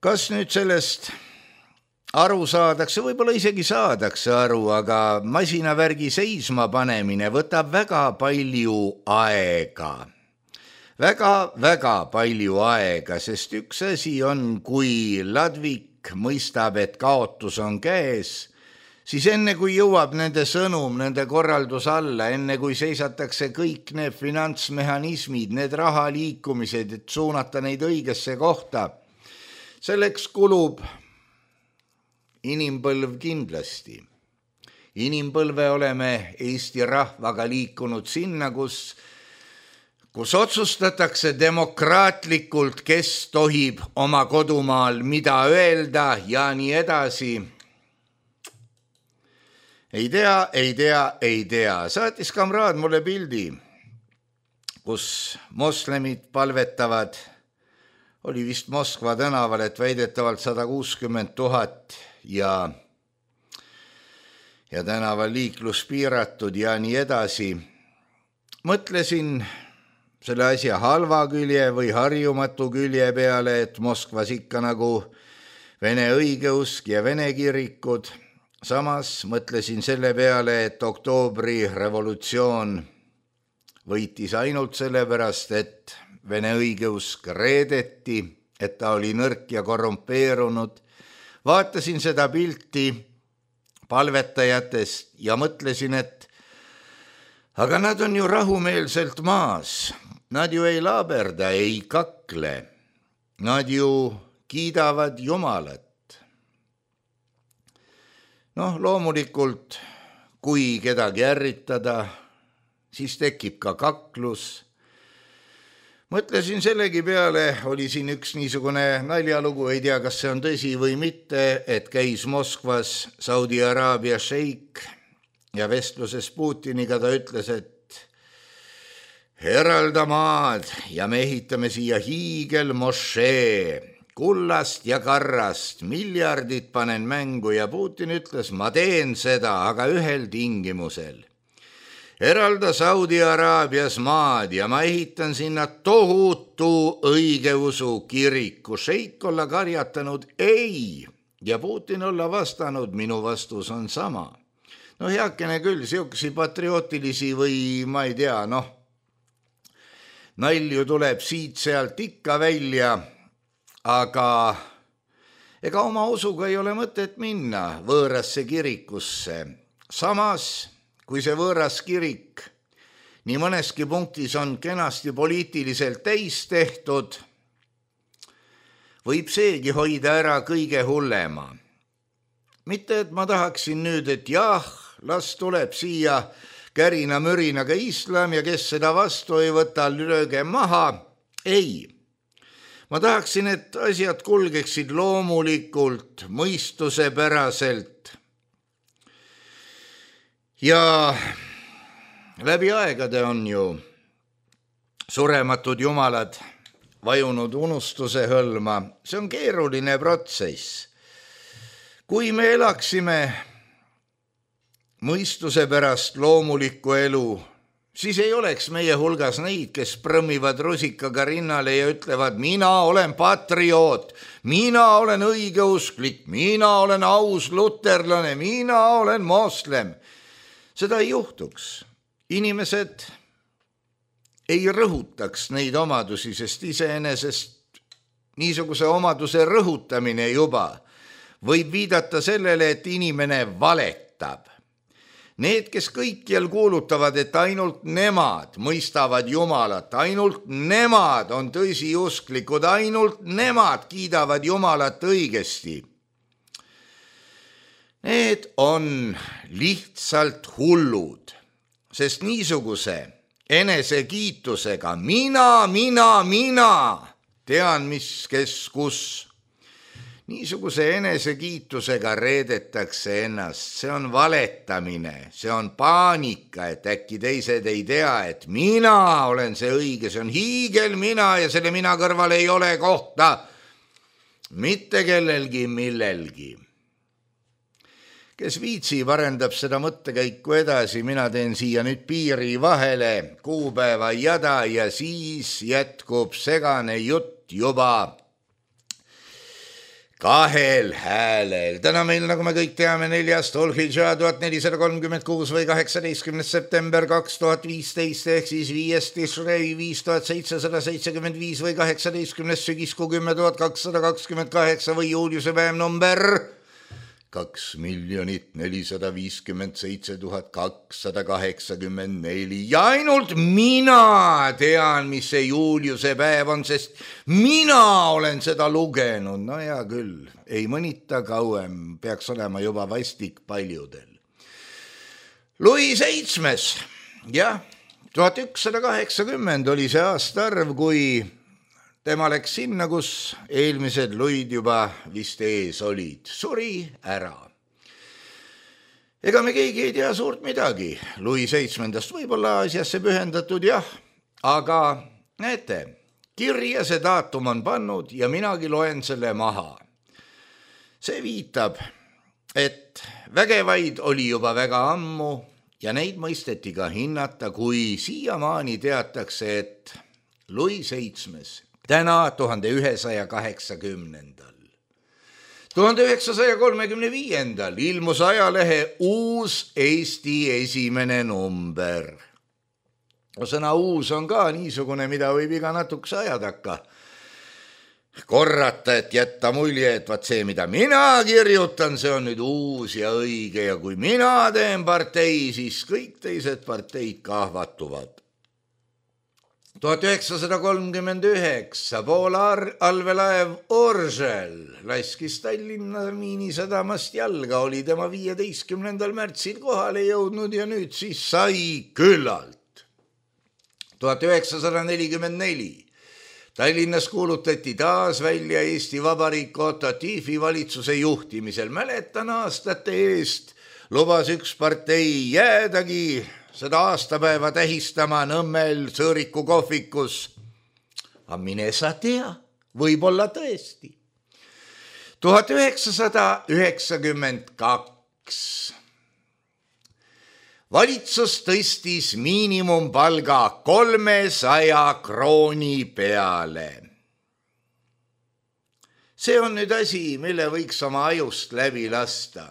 Speaker 3: Kas nüüd sellest aru saadakse, võib-olla isegi saadakse aru, aga masinavärgi seisma panemine võtab väga palju aega. Väga palju aega, sest üks asi on, kui ladvik mõistab, et kaotus on käes, siis enne kui jõuab nende sõnum, nende korraldus alla, enne kui seisatakse kõik need finantsmehhanismid, need rahaliikumised, et suunata neid õigesse kohta, selleks kulub inimpõlv kindlasti. Inimpõlve oleme Eesti rahvaga liikunud sinna, kus otsustatakse demokraatlikult, kes tohib oma kodumaal mida öelda ja nii edasi. ei tea. Saatis kamraad mulle pildi, kus moslemid palvetavad. Oli vist Moskva tänaval, et väidetavalt 160 000 ja tänaval liiklus piiratud ja nii edasi. Mõtlesin selle asja halva külje või harjumatu külje peale, et Moskvas ikka nagu vene õigeusk ja vene kirikud. Samas mõtlesin selle peale, et oktoobri revolutsioon võitis ainult sellepärast, et vene õigeusk reedeti, et ta oli nõrk ja korrumpeerunud. Vaatasin seda pilti palvetajatest ja mõtlesin, et aga nad on ju rahumeelselt maas. Nad ju ei laaberda, ei kakle. Nad ju kiidavad Jumalat. Loomulikult, kui kedagi ärritada, siis tekib ka kaklus. Mõtlesin sellegi peale, oli siin üks niisugune naljalugu, ei tea, kas see on tõsi või mitte, et käis Moskvas Saudi Araabia šeik ja vestluses Putiniga ta ütles, et eralda maad ja me ehitame siia hiigelmošee, kullast ja karrast, miljardid panen mängu ja Putin ütles, ma teen seda, aga ühel tingimusel. Eralda Saudi Araabias maad ja ma ehitan sinna tohutu õigeusu kiriku. Šeik olla karjatanud ei ja Putin olla vastanud, minu vastus on sama. Heakene küll, siuksi patriootilisi või ma ei tea, nalju tuleb siit-sealt ikka välja, aga ega oma usuga ei ole mõtet minna võõrasse kirikusse. Samas, kui see võõras kirik nii mõneski punktis on kenasti poliitiliselt täis tehtud, võib seegi hoida ära kõige hullema. Mitte, et ma tahaksin nüüd, et jah, las tuleb siia kärina-mürinaga islam ja kes seda vastu ei võta, lööge maha. Ei. Ma tahaksin, et asjad kulgeksid loomulikult, mõistusepäraselt. Ja läbi aegade on ju surematud jumalad vajunud unustuse hõlma. See on keeruline protsess. Kui me elaksime mõistuse pärast loomulikku elu, siis ei oleks meie hulgas neid, kes prõmmivad rusikaga rinnale ja ütlevad, mina olen patrioot, mina olen õigeusklik, mina olen aus luterlane, mina olen moslem. Seda ei juhtuks. Inimesed ei rõhutaks neid omadusi, sest iseenesest niisuguse omaduse rõhutamine juba võib viidata sellele, et inimene valetab. Need, kes kõikjal kuulutavad, et ainult nemad mõistavad Jumalat, ainult nemad on tõsiusklikud, ainult nemad kiidavad Jumalat õigesti. Need on lihtsalt hullud, sest niisuguse enesekiitusega mina tean, mis, kes, kus. Niisuguse enesekiitusega reedetakse ennast, see on valetamine, see on paanika, et äkki teised ei tea, et mina olen see õige, see on hiigel mina ja selle mina kõrval ei ole kohta mitte kellelgi millelgi. Kes viitsib, arendab seda mõttekäiku edasi, mina teen siia nüüd piiri vahele, kuupäeva jada ja siis jätkub segane jutt juba kahel häälel. Täna meil, nagu me kõik teame, 4. Dhul-Hidžaa 1436 või 18. september 2015 ehk siis 5. Tishrei 5775 või 18. sügiskuu 10.228 või juuliuse päev number 2,457,284 ja ainult mina tean, mis see juuliuse päev on, sest mina olen seda lugenud. No hea küll, ei mõnita kauem, peaks olema juba vastik paljudel. Louis VII, jah, 1180 oli see aastaarv, kui tema läks sinna, kus eelmised Louis'd juba vist ees olid. Suri ära. Ega me keegi ei tea suurt midagi Louis VII võib-olla asjasse pühendatud jah, aga näete, kirja see daatum on pannud ja minagi loen selle maha. See viitab, et vägevaid oli juba väga ammu ja neid mõisteti ka hinnata, kui siiamaani teatakse, et Louis VII täna 1180. 1935. ilmus ajalehe Uus Eesti esimene number. Sõna uus on ka niisugune, mida võib iga natukese aja takka korrata, et jätta mulje, et vaat see, mida mina kirjutan, see on nüüd uus ja õige ja kui mina teen partei, siis kõik teised parteid kahvatuvad. 1939 Poola allveelaev Oržel laskis Tallinna miinisadamast jalga, oli tema 15. märtsil kohale jõudnud ja nüüd siis sai küllalt. 1944 Tallinnas kuulutati taas välja Eesti Vabariik Otto Tiefi valitsuse juhtimisel. Mäletan aastate eest lubas üks partei jäädagi seda aastapäeva tähistama Nõmmel Sõõriku kohvikus. Aga mine sa tea, võib-olla tõesti. 1992 valitsus tõstis miinimumpalga 300 krooni peale. See on nüüd asi, mille võiks oma ajust läbi lasta.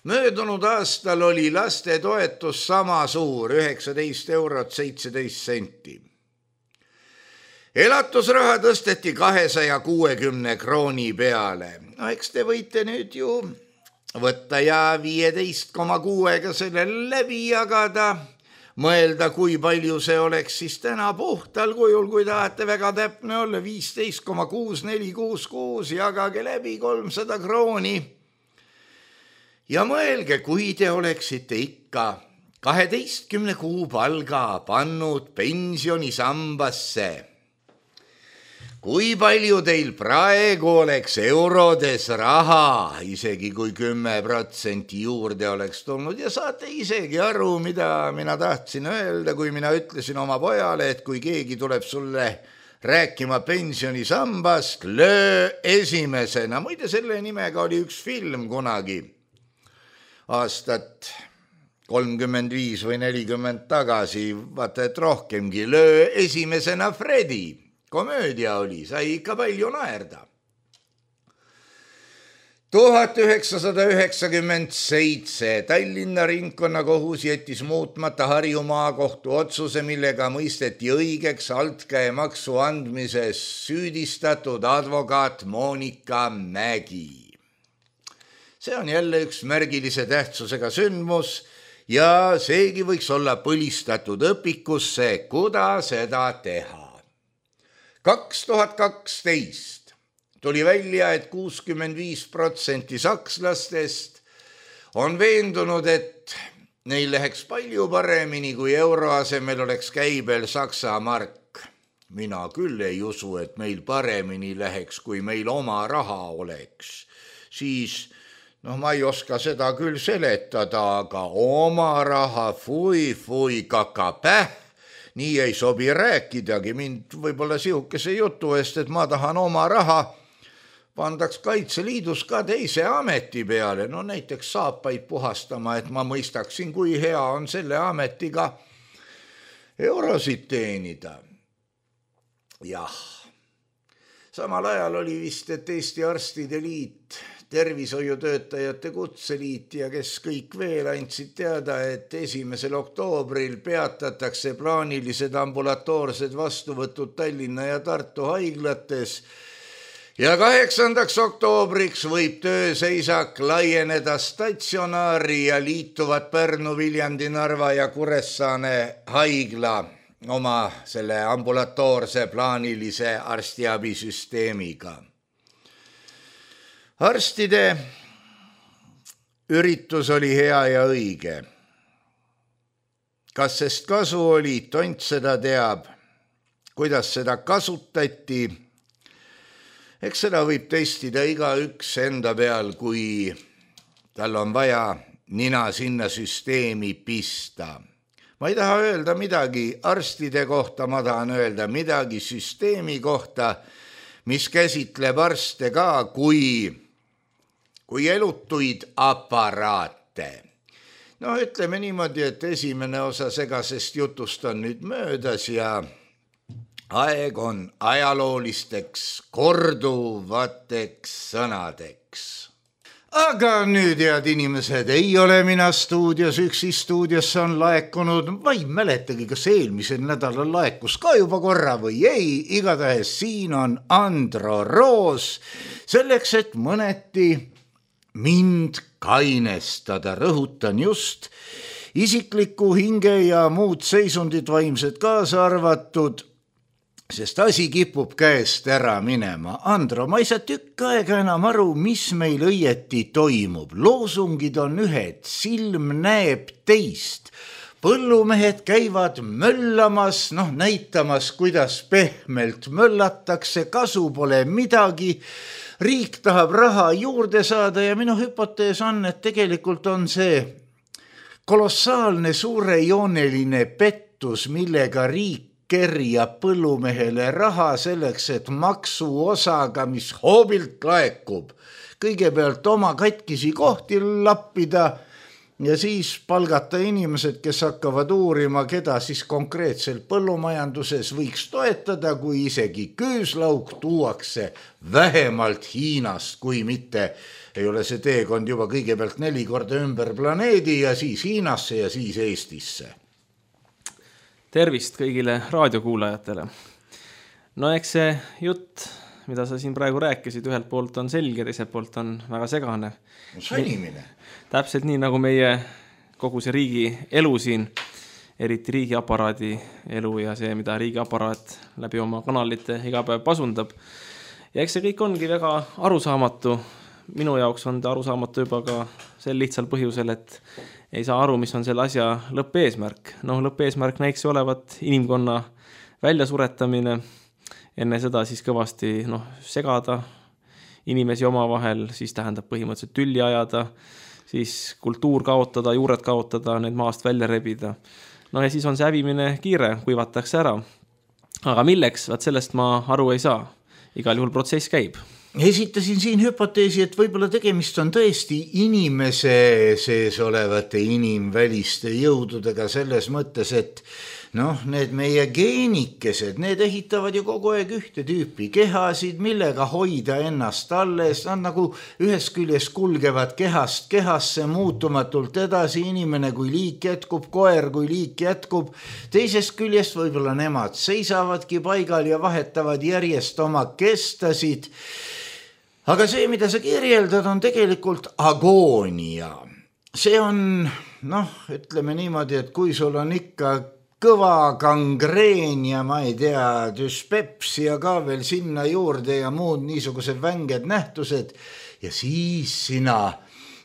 Speaker 3: Möödunud aastal oli laste toetus sama suur, 19 eurot 17 senti. Elatusraha tõsteti 260 krooni peale. No eks te võite nüüd ju võtta ja 15,6-ga selle läbi jagada, mõelda, kui palju see oleks siis täna puhtal kujul, kui tahate väga täpne olla, 15,6466, jagage läbi 300 krooni. Ja mõelge, kui te oleksite ikka 12 kuu palga pannud pensionisambasse. Kui palju teil praegu oleks eurodes raha, isegi kui 10% juurde oleks tulnud ja saate isegi aru, mida mina tahtsin öelda, kui mina ütlesin oma pojale, et kui keegi tuleb sulle rääkima pensionisambast, löö esimesena. Muide, selle nimega oli üks film kunagi aastat 35 või 40 tagasi, vaata et rohkemgi, löö esimesena Fredi. Komöödia oli, sai ikka palju naerda. 1997 Tallinna ringkonnakohus jättis muutmata Harju maakohtu otsuse, millega mõisteti õigeks altkäemaksu andmises süüdistatud advokaat Monika Mägi. See on jälle üks märgilise tähtsusega sündmus ja seegi võiks olla põlistatud õpikusse, kuda seda teha. 2012 tuli välja, et 65% sakslastest on veendunud, et neil läheks palju paremini, kui euro asemel oleks käibel Saksa mark. Mina küll ei usu, et meil paremini läheks, kui meil oma raha oleks. Siis ma ei oska seda küll seletada, aga oma raha, fui, kakapäh, nii ei sobi rääkidagi. Mind võib-olla sihukese jutu eest, et ma tahan oma raha, pandaks Kaitseliidus ka teise ameti peale, näiteks saapaid puhastama, et ma mõistaksin, kui hea on selle ametiga eurosid teenida. Jah, samal ajal oli vist, et Eesti Arstide Liit, Tervishoiutöötajate Kutseliit ja kes kõik veel andsid teada, et 1. oktoobril peatatakse plaanilised ambulatoorsed vastuvõtud Tallinna ja Tartu haiglates ja 8. oktoobriks võib tööseisak laieneda statsionaari ja liituvad Pärnu, Viljandi, Narva ja Kuressaare haigla oma selle ambulatoorse plaanilise arstiabisüsteemiga. Arstide üritus oli hea ja õige. Kas sest kasu oli, tont seda teab, kuidas seda kasutati. Eks seda võib testida igaüks enda peal, kui tal on vaja nina sinna süsteemi pista. Ma ei taha öelda midagi arstide kohta, ma tahan öelda midagi süsteemi kohta, mis käsitleb arste ka kui elutuid aparaate. No ütleme niimoodi, et esimene osa segasest jutust on nüüd möödas ja aeg on ajaloolisteks korduvateks sõnadeks. Aga nüüd, head inimesed, ei ole mina stuudios, üksi stuudiosse on laekunud, ma ei mäletagi, kas eelmisel nädalal laekus ka juba korra või ei, igatahes siin on Andro Roos, selleks, et mõneti mind kainestada, rõhutan just isikliku hinge ja muud seisundid vaimsed kaasa arvatud, sest asi kipub käest ära minema. Andro, ma ei saa tükk aega enam aru, mis meil õieti toimub. Loosungid on ühed, silm näeb teist. Põllumehed käivad möllamas, näitamas, kuidas pehmelt möllatakse, kasu pole midagi. Riik tahab raha juurde saada ja minu hüpotees on, et tegelikult on see kolossaalne suurejooneline pettus, millega riik kerjab põllumehele raha selleks, et maksuosaga, mis hoobilt laekub, kõigepealt oma katkisi kohti lappida ja siis palgata inimesed, kes hakkavad uurima, keda siis konkreetselt põllumajanduses võiks toetada, kui isegi küüslauk tuuakse vähemalt Hiinast, kui mitte ei ole see teekond juba kõigepealt 4 korda ümber planeedi ja siis Hiinasse ja siis Eestisse.
Speaker 4: Tervist kõigile raadiokuulajatele. No eks see jutt, mida sa siin praegu rääkisid, ühelt poolt on selge, teiselt poolt on väga segane.
Speaker 3: Sõnimine.
Speaker 4: Täpselt nii, nagu meie kogu see riigi elu siin, eriti riigiaparaadi elu ja see, mida riigiaparaat läbi oma kanalite iga päev pasundab. Ja eks see kõik ongi väga arusaamatu. Minu jaoks on ta arusaamatu juba ka sel lihtsal põhjusel, et ei saa aru, mis on selle asja lõppeesmärk. Lõppeesmärk näiks olevat inimkonna väljasuretamine, enne seda siis kõvasti segada inimesi omavahel, siis tähendab põhimõtteliselt tülli ajada, siis kultuur kaotada, juured kaotada, need maast välja rebida. Ja siis on see hävimine kiire, kuivatakse ära. Aga milleks? Vaat sellest ma aru ei saa. Igal juhul protsess käib.
Speaker 3: Esitasin siin hüpoteesi, et võib-olla tegemist on tõesti inimese sees olevate inimväliste jõududega selles mõttes, et need meie geenikesed, need ehitavad ju kogu aeg ühte tüüpi kehasid, millega hoida ennast alles, nad nagu ühest küljes kulgevad kehast kehasse muutumatult edasi, inimene kui liik jätkub, koer kui liik jätkub, teisest küljest võib-olla nemad seisavadki paigal ja vahetavad järjest oma kestasid. Aga see, mida sa kirjeldad, on tegelikult agoonia. See on, ütleme niimoodi, et kui sul on ikka kõva gangreen ja ma ei tea, düspepsia ka veel sinna juurde ja muud niisugused vänged nähtused ja siis sina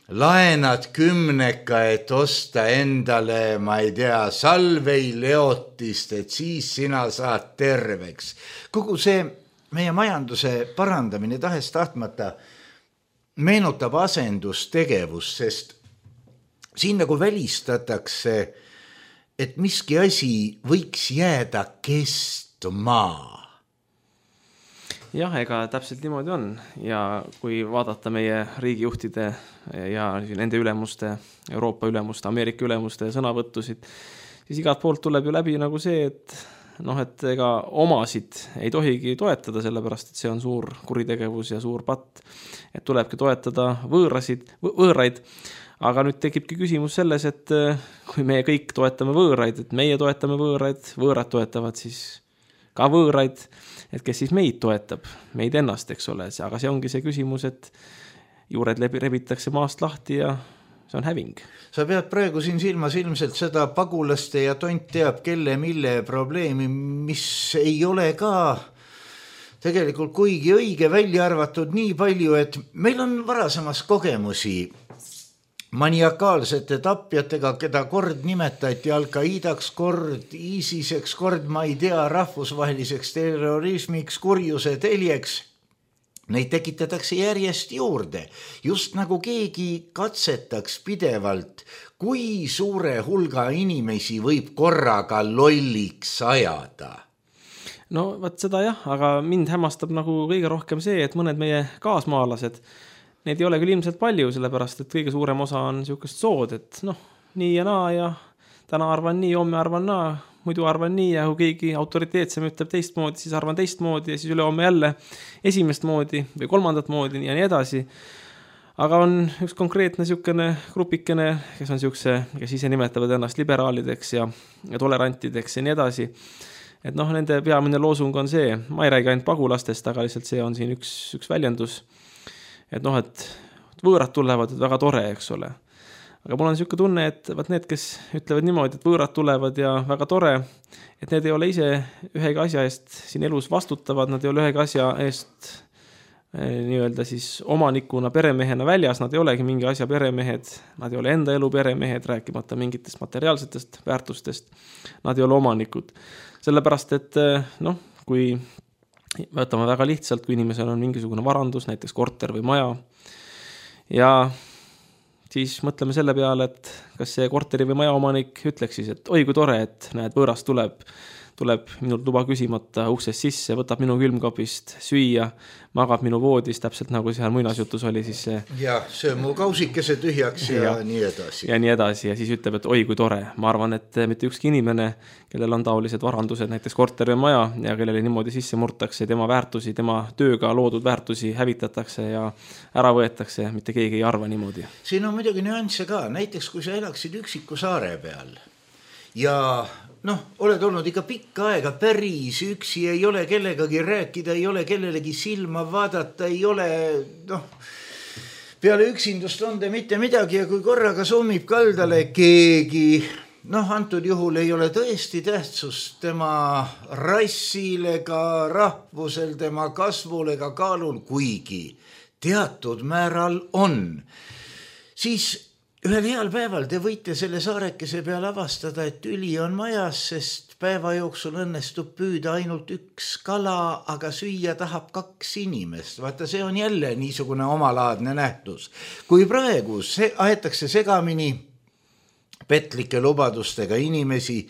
Speaker 3: laenad 10, et osta endale, ma ei tea, salveileotist, et siis sina saad terveks. Kogu see meie majanduse parandamine tahes tahtmata meenutab asendustegevus, sest siin nagu välistatakse, et miski asi võiks jääda kestma.
Speaker 4: Jah, ega täpselt niimoodi on ja kui vaadata meie riigijuhtide ja nende ülemuste, Euroopa ülemuste, Ameerika ülemuste sõnavõttusid, siis igalt poolt tuleb ju läbi nagu see, et ega omasid ei tohigi toetada, sellepärast, et see on suur kuritegevus ja suur patt, et tulebki toetada võõraid. Aga nüüd tekibki küsimus selles, et kui meie kõik toetame võõraid, et meie toetame võõraid, võõrad toetavad siis ka võõraid, et kes siis meid toetab, meid ennast, eks ole. Aga see ongi see küsimus, et juured rebitakse maast lahti ja see on häving.
Speaker 3: Sa pead praegu siin silmas ilmselt seda pagulaste ja tont teab kelle mille probleemi, mis ei ole ka tegelikult kuigi õige välja arvatud nii palju, et meil on varasemas kogemusi maniakaalsete tapjatega, keda kord nimetati Al-Qaidaks, kord ISISeks, kord ma ei tea, rahvusvaheliseks terrorismiks, kurjuse teljeks. neid tekitatakse järjest juurde, just nagu keegi katsetaks pidevalt, kui suure hulga inimesi võib korraga lolliks ajada.
Speaker 4: No vaat seda jah, aga mind hämmastab nagu kõige rohkem see, et mõned meie kaasmaalased, neid ei ole küll ilmselt palju, sellepärast et kõige suurem osa on niisugust sood, et nii ja naa ja täna arvan nii, homme arvan naa, muidu arvan nii ja kui keegi autoriteetsem ütleb teistmoodi, siis arvan teistmoodi ja siis ülehomme jälle esimest moodi või kolmandat moodi ja nii edasi. Aga on üks konkreetne niisugune grupikene, kes on niisuguse, kes ise nimetavad ennast liberaalideks ja tolerantideks ja nii edasi. Et nende peamine loosung on see, ma ei räägi ainult pagulastest, aga lihtsalt see on siin üks väljendus, et et võõrad tulevad, et väga tore, eks ole. Aga mul on niisugune tunne, et need, kes ütlevad niimoodi, et võõrad tulevad ja väga tore, et need ei ole ise ühegi asja eest siin elus vastutavad, nad ei ole ühegi asja eest nii-öelda siis omanikuna, peremehena väljas, nad ei olegi mingi asja peremehed, nad ei ole enda elu peremehed, rääkimata mingitest materiaalsetest väärtustest, nad ei ole omanikud. Sellepärast, et kui võtame väga lihtsalt, kui inimesel on mingisugune varandus, näiteks korter või maja, ja siis mõtleme selle peale, et kas see korteri või maja omanik ütleks siis, et oi kui tore, et näed, võõras tuleb minult luba küsimata uksest sisse, võtab minu külmkapist süüa, magab minu voodis, täpselt nagu seal muinasjutus oli siis see.
Speaker 3: Ja see mu kausikese tühjaks ja nii edasi.
Speaker 4: Ja nii edasi ja siis ütleb, et oi kui tore. Ma arvan, et mitte ükski inimene, kellel on taolised varandused, näiteks korter või maja ja kellele niimoodi sisse murtakse, tema väärtusi, tema tööga loodud väärtusi hävitatakse ja ära võetakse, mitte keegi ei arva niimoodi.
Speaker 3: Siin on muidugi nüansse ka, näiteks kui sa elaksid üksiku saare peal ja oled olnud ikka pikka aega päris üksi, ei ole kellegagi rääkida, ei ole kellelegi silma vaadata, ei ole, peale üksindust on te mitte midagi ja kui korraga summib kaldale keegi, antud juhul ei ole tõesti tähtsust tema rassil ega rahvusel, tema kasvul ega kaalul, kuigi teatud määral on, siis ühel heal päeval te võite selle saarekese peal avastada, et üli on majas, sest päeva jooksul õnnestub püüda ainult üks kala, aga süüa tahab 2 inimest. Vaata, see on jälle niisugune omalaadne nähtus. Kui praegu aetakse segamini petlike lubadustega inimesi,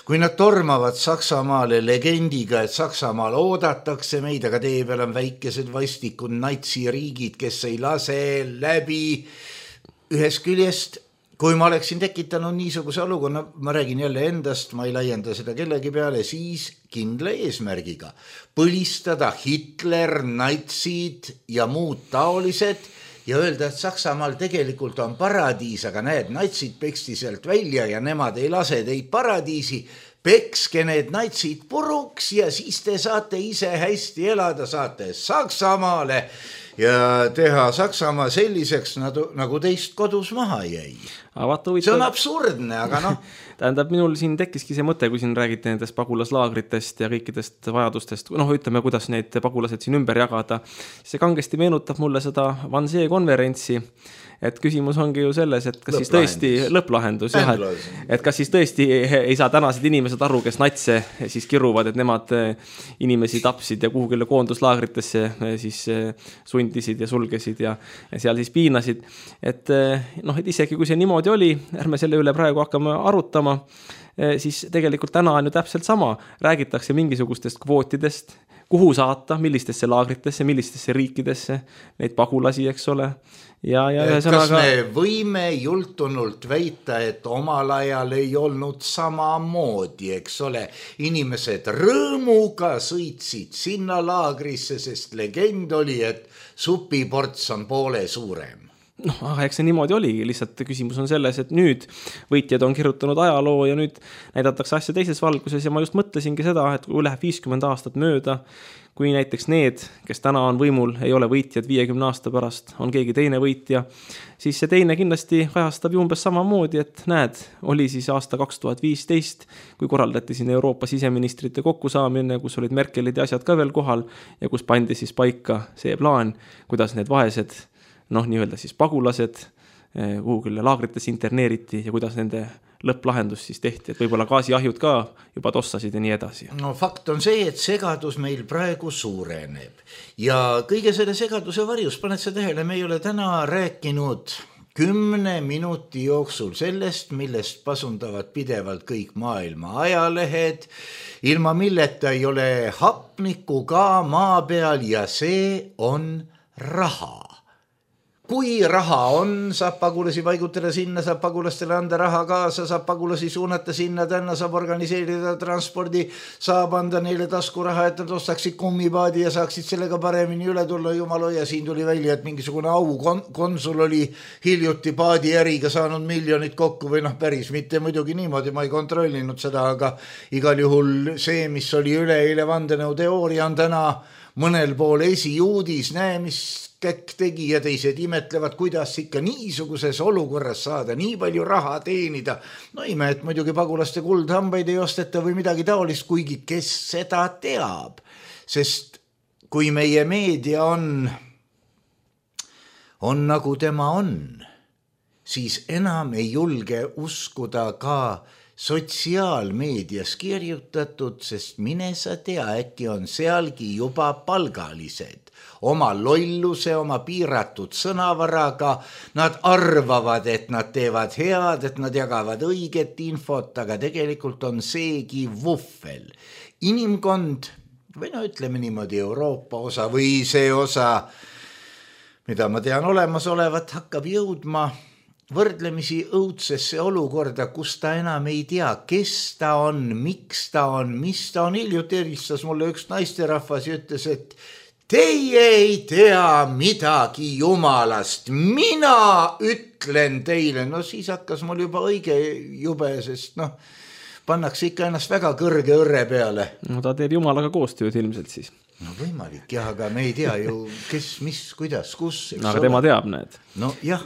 Speaker 3: kui nad tormavad Saksamaale legendiga, et Saksamaal oodatakse meid, aga tee peal on väikesed vastikud natsiriigid, kes ei lase läbi. Ühest küljest, kui ma oleksin tekitanud niisuguse olukorra, ma räägin jälle endast, ma ei laienda seda kellegi peale, siis kindla eesmärgiga põlistada Hitler, natsid ja muud taolised ja öelda, et Saksamaal tegelikult on paradiis, aga näed, natsid peksti sealt välja ja nemad ei lase teid paradiisi, pekske need natsid puruks ja siis te saate ise hästi elada, saate Saksamaale ja teha Saksamaa selliseks, nagu teist kodus maha jäi. See on absurdne, aga
Speaker 4: Tähendab, minul siin tekkiski see mõte, kui siin räägite nendest pagulaslaagritest ja kõikidest vajadustest, ütleme, kuidas neid pagulased siin ümber jagada. See kangesti meenutab mulle seda Wannsee konverentsi, et küsimus ongi ju selles, et kas siis tõesti lõpplahendus, et kas siis tõesti ei saa tänased inimesed aru, kes natse siis kiruvad, et nemad inimesi tapsid ja kuhugile koonduslaagritesse siis sundisid ja sulgesid ja seal siis piinasid. Et isegi kui see niimoodi oli, ärme selle üle praegu hakkame arutama, siis tegelikult täna on ju täpselt sama. Räägitakse mingisugustest kvootidest, kuhu saata, millistesse laagritesse, millistesse riikidesse, neid pagulasi, eks ole.
Speaker 3: Kas me võime jultunult väita, et omal ajal ei olnud samamoodi, eks ole, inimesed rõõmuga sõitsid sinna laagrisse, sest legend oli, et supiports on poole suurem.
Speaker 4: Eks see niimoodi oligi, lihtsalt küsimus on selles, et nüüd võitjad on kirjutanud ajaloo ja nüüd näidatakse asja teises valguses ja ma just mõtlesingi seda, et kui läheb 50 aastat mööda, kui näiteks need, kes täna on võimul, ei ole võitjad 50 aasta pärast, on keegi teine võitja, siis see teine kindlasti kajastab ju umbes samamoodi, et näed, oli siis aasta 2015, kui korraldati siin Euroopa siseministrite kokkusaamine, kus olid Merkelid ja asjad ka veel kohal ja kus pandi siis paika see plaan, kuidas need vaesed nii-öelda siis pagulased kuhugile laagrites interneeriti ja kuidas nende lõpplahendus siis tehti, et võib-olla gaasiahjud ka juba tossasid ja nii edasi.
Speaker 3: No fakt on see, et segadus meil praegu suureneb ja kõige selle segaduse varjus, paned sa tähele, me ei ole täna rääkinud 10 minuti jooksul sellest, millest pasundavad pidevalt kõik maailma ajalehed, ilma milleta ei ole hapnikku ka maa peal ja see on raha. Kui raha on, saab pagulasi paigutada sinna, saab pagulastele anda raha kaasa, saab pagulasi suunata sinna, tänna saab organiseerida transpordi, saab anda neile taskuraha, et nad ostaksid kummipaadi ja saaksid sellega paremini üle tulla. Jumal hoia, siin tuli välja, et mingisugune konsul oli hiljuti paadi äriga saanud miljonit kokku või päris mitte muidugi niimoodi, ma ei kontrollinud seda, aga igal juhul see, mis oli üleeile vandenõu teooria, on täna mõnel pool esiuudis, näe, mis käkk tegi ja teised imetlevad, kuidas ikka niisuguses olukorras saada nii palju raha teenida. No ime, et muidugi pagulaste kuldhambaid ei osteta või midagi taolist, kuigi kes seda teab. Sest kui meie meedia on nagu tema on, siis enam ei julge uskuda ka sotsiaalmeedias kirjutatud, sest mine sa tea, äkki on sealgi juba palgalised. Oma lolluse, oma piiratud sõnavaraga, nad arvavad, et nad teevad head, et nad jagavad õiget infot, aga tegelikult on seegi vuffel. Inimkond, või ütleme niimoodi Euroopa osa või see osa, mida ma tean olemas olevat, hakkab jõudma võrdlemisi õudsesse olukorda, kus ta enam ei tea, kes ta on, miks ta on, mis ta on. Hiljuti helistas mulle üks naisterahvas ja ütles, et teie ei tea midagi jumalast, mina ütlen teile. No siis hakkas mul juba õige jube, sest pannakse ikka ennast väga kõrge õrre peale.
Speaker 4: No ta teeb jumalaga koostööd ilmselt siis.
Speaker 3: No võimalik jah, aga me ei tea ju, kes, mis, kuidas, kus.
Speaker 4: Aga tema teab, näed.
Speaker 3: No jah.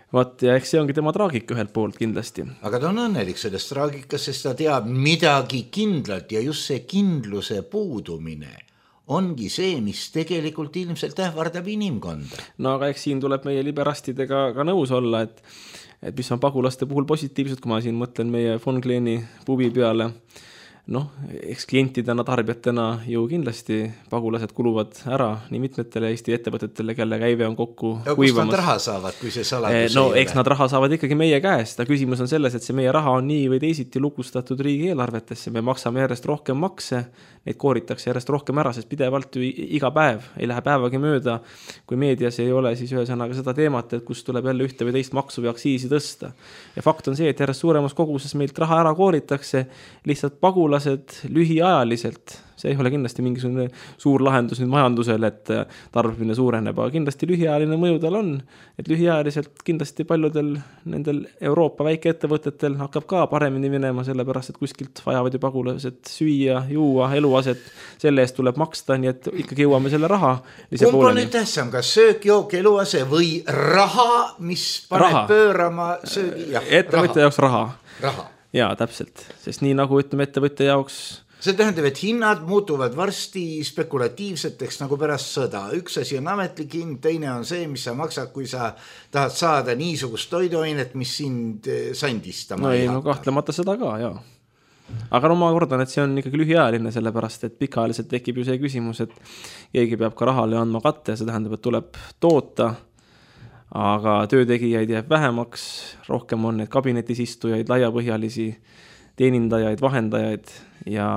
Speaker 4: Vaat ja eks see ongi tema traagika ühelt poolt kindlasti.
Speaker 3: Aga ta on õnnelik sellest traagikas, sest ta teab midagi kindlalt ja just see kindluse puudumine ongi see, mis tegelikult ilmselt ähvardab inimkonda.
Speaker 4: No aga eks siin tuleb meie liberastidega ka nõus olla, et mis on pagulaste puhul positiivsed, kui ma siin mõtlen meie von Kleeni pubi peale. Eks klientidena, tarbijatena ju kindlasti pagulased kuluvad ära nii mitmetele Eesti ettevõtetele, kelle käive on kokku
Speaker 3: ja kust nad raha saavad, kui see saladus
Speaker 4: ei ole? Eks nad raha saavad ikkagi meie käest. Küsimus on selles, et see meie raha on nii või teisiti lukustatud riigi eelarvetesse. Me maksame järjest rohkem makse, neid kooritakse järjest rohkem ära, sest pidevalt ju iga päev ei lähe päevagi mööda, kui meedias ei ole siis ühesõnaga seda teemat, et kus tuleb jälle ühte või teist maksu või aktsiisi tõsta. Ja fakt on see, et järjest suuremas koguses meilt raha ära kooritakse, lihtsalt pagulased lühiajaliselt, see ei ole kindlasti mingisugune suur lahendus nüüd majandusele, et tarbimine suureneb, aga kindlasti lühiajaline mõju tal on, et lühiajaliselt kindlasti paljudel nendel Euroopa väikeettevõtetel hakkab ka paremini minema, sellepärast, et kuskilt vajavad ju pagulased süüa, juua, eluaset, selle eest tuleb maksta, nii et ikkagi jõuame selle raha.
Speaker 3: Kumb on nüüd tähtsam, kas söök, jook, eluase või raha, mis paneb pöörama söögi?
Speaker 4: Ettevõtja jaoks raha.
Speaker 3: Raha.
Speaker 4: Jaa, täpselt, sest nii nagu ütleme ettevõtja jaoks.
Speaker 3: See tähendab, et hinnad muutuvad varsti spekulatiivseteks nagu pärast sõda. Üks asi on ametlik hind, teine on see, mis sa maksad, kui sa tahad saada niisugust toiduainet, mis sind sandistama ei hakka.
Speaker 4: Kahtlemata seda ka, jaa. Aga ma kordan, et see on ikkagi lühiajaline, sellepärast, et pikaajaliselt tekib ju see küsimus, et keegi peab ka rahale andma katte, see tähendab, et tuleb toota, aga töötegijaid jääb vähemaks, rohkem on need kabinetis istujaid, laiapõhjalisi teenindajaid, vahendajaid ja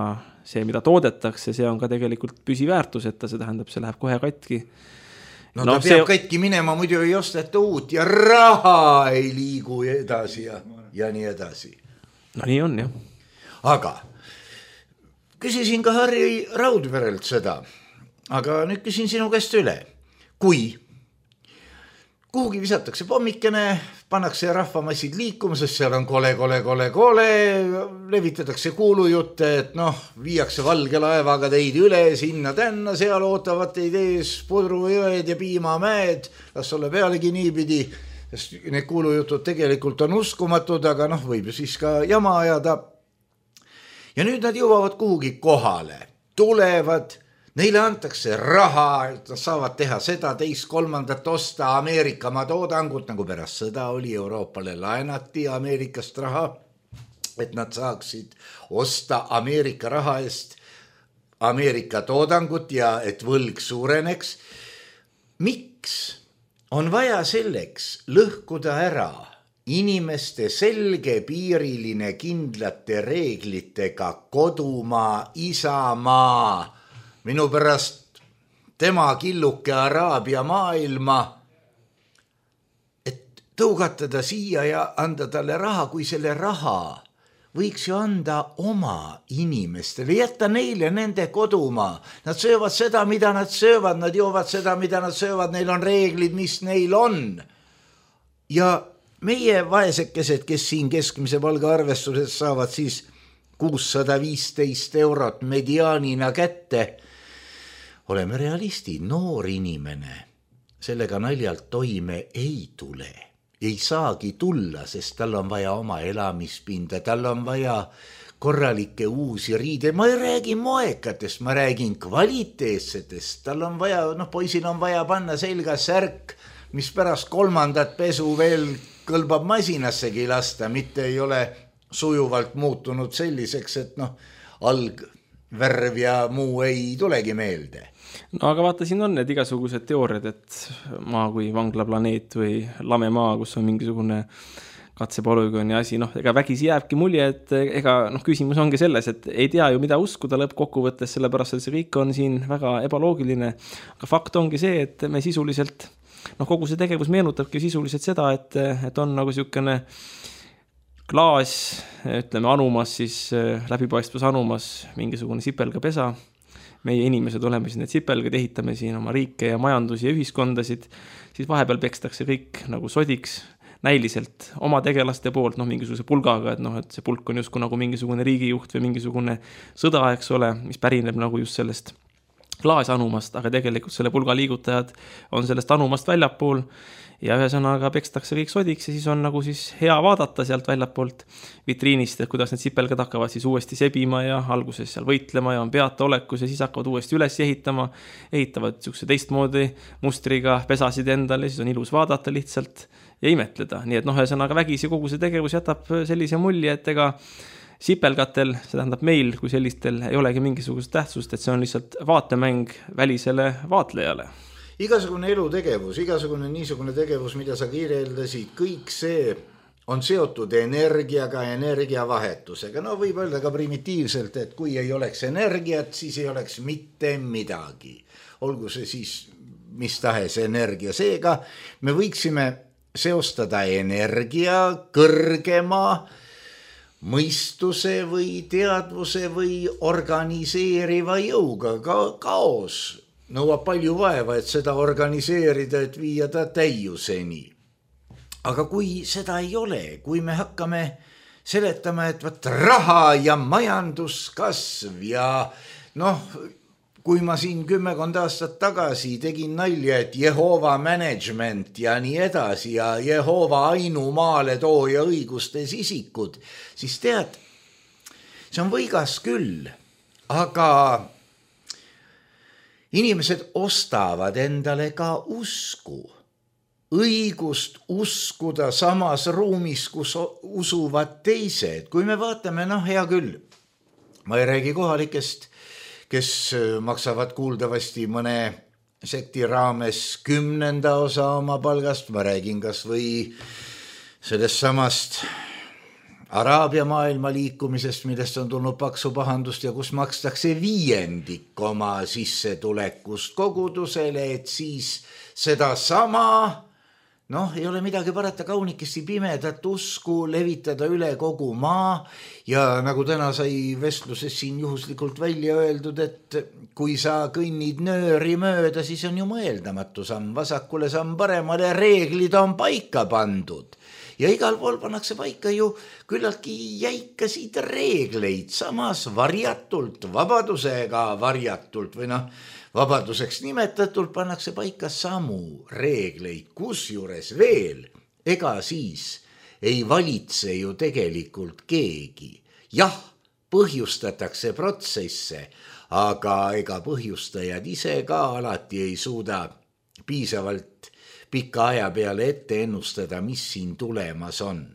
Speaker 4: see, mida toodetakse, see on ka tegelikult püsiväärtuseta, see tähendab, see läheb kohe katki.
Speaker 3: No ta peab katki minema, muidu ei osteta uut ja raha ei liigu edasi ja nii edasi.
Speaker 4: No nii on, jah.
Speaker 3: Aga küsisin ka Harri Raudverelt seda, aga nüüd küsin sinu käest üle. Kui kuhugi visatakse pommikene, pannakse rahvamassid liikumises, seal on kole, levitatakse kuulujutte, et viiakse valge laevaga teid üle, sinna tänna, seal ootavad teid ees pudrujõed ja piimamäed, las ole pealegi niipidi, sest need kuulujutud tegelikult on uskumatud, aga võib ju siis ka jama ajada. Ja nüüd nad jõuavad kuhugi kohale, tulevad, neile antakse raha, et nad saavad teha seda, teist, kolmandat, osta Ameerikamaa toodangut, nagu pärast sõda oli, Euroopale laenati Ameerikast raha. et nad saaksid osta Ameerika raha eest Ameerika toodangut ja et võlg suureneks. Miks on vaja selleks lõhkuda ära inimeste selgepiiriline kindlate reeglitega kodumaa, isamaa, minu pärast tema killuke Araabia maailma, et tõugatada siia ja anda talle raha, kui selle raha võiks ju anda oma inimestele, jätta neile nende kodumaa. Nad söövad seda, mida nad söövad, nad joovad seda, mida nad söövad, neil on reeglid, mis neil on. Ja meie vaesekesed, kes siin keskmise palga arvestuses saavad siis 615 eurot mediaanina kätte, oleme realistid, noor inimene sellega naljalt toime ei tule. Ei saagi tulla, sest tal on vaja oma elamispinda, tal on vaja korralikke uusi riide. Ma ei räägi moekatest, ma räägin kvaliteetsetest. Tal on vaja, poisil on vaja panna selga särk, mis pärast 3. pesu veel kõlbab masinassegi lasta, mitte ei ole sujuvalt muutunud selliseks, et algvärv ja muu ei tulegi meelde.
Speaker 4: No aga vaata, siin on need igasugused teooriad, et maa kui vanglaplaneet või lame maa, kus on mingisugune katsepolügooni asi, ega vägisi jääbki mulje, et küsimus ongi selles, et ei tea ju, mida uskuda lõppkokkuvõttes, sellepärast, et see kõik on siin väga ebaloogiline, aga fakt ongi see, et me sisuliselt, kogu see tegevus meenutabki sisuliselt seda, et on nagu niisugune klaas, ütleme anumas, siis läbipaistvus anumas mingisugune sipelgapesa. Meie inimesed oleme siin need sipelgad, ehitame siin oma riike ja majandusi ja ühiskondasid, siis vahepeal pekstakse kõik nagu sodiks näiliselt oma tegelaste poolt, mingisuguse pulgaga, et see pulk on justkui nagu mingisugune riigijuht või mingisugune sõda, eks ole, mis pärineb nagu just sellest klaasanumast, aga tegelikult selle pulga liigutajad on sellest anumast väljapool ja ühesõnaga pekstakse kõik sodiks ja siis on nagu siis hea vaadata sealt väljapoolt vitriinist, et kuidas need sipelgad hakkavad siis uuesti sebima ja alguses seal võitlema ja on peata olekus ja siis hakkavad uuesti üles ehitavad niisuguse teistmoodi mustriga pesasid endale ja siis on ilus vaadata lihtsalt ja imetleda. Nii et ühesõnaga vägisi kogu see tegevus jätab sellise mulje, et ega sipelgatel, see tähendab meil kui sellistel ei olegi mingisugust tähtsust, et see on lihtsalt vaatemäng välisele vaatlejale.
Speaker 3: Igasugune elutegevus, igasugune niisugune tegevus, mida sa kirjeldasid, kõik see on seotud energiaga, energiavahetusega. Võib öelda ka primitiivselt, et kui ei oleks energiat, siis ei oleks mitte midagi. Olgu see siis mis tahes energia. Seega me võiksime seostada energia kõrgema mõistuse või teadvuse või organiseeriva jõuga. Kaos nõuab palju vaeva, et seda organiseerida, et viia ta täiuseni. Aga kui seda ei ole, kui me hakkame seletama, et raha ja majanduskasv ja kui ma siin 10 aastat tagasi tegin nalja, et Jehova management ja nii edasi ja Jehova ainumaale tooja õigustes isikud, siis tead, see on võigas küll, aga inimesed ostavad endale ka usku, õigust uskuda samas ruumis, kus usuvad teised. Kui me vaatame, hea küll, ma ei räägi kohalikest, kes maksavad kuuldavasti mõne sekti raames 10. osa oma palgast, ma räägin kas või sellest samast Araabia maailma liikumisest, millest on tulnud paksu pahandust ja kus makstakse 5% oma sissetulekust kogudusele, et siis seda sama, ei ole midagi parata, kaunikesti pimedat usku levitada üle kogu maa ja nagu täna sai vestluses siin juhuslikult välja öeldud, et kui sa kõnnid nööri mööda, siis on ju mõeldamatu samm vasakule, samm paremale, reeglid on paika pandud. Ja igal pool pannakse paika ju küllaltki jäikasid reegleid, samas varjatult, vabadusega varjatult või vabaduseks nimetatult pannakse paika samu reegleid, kusjuures veel, ega siis ei valitse ju tegelikult keegi. Jah, põhjustatakse protsesse, aga ega põhjustajad ise ka alati ei suuda piisavalt pika aja peale ette ennustada, mis siin tulemas on.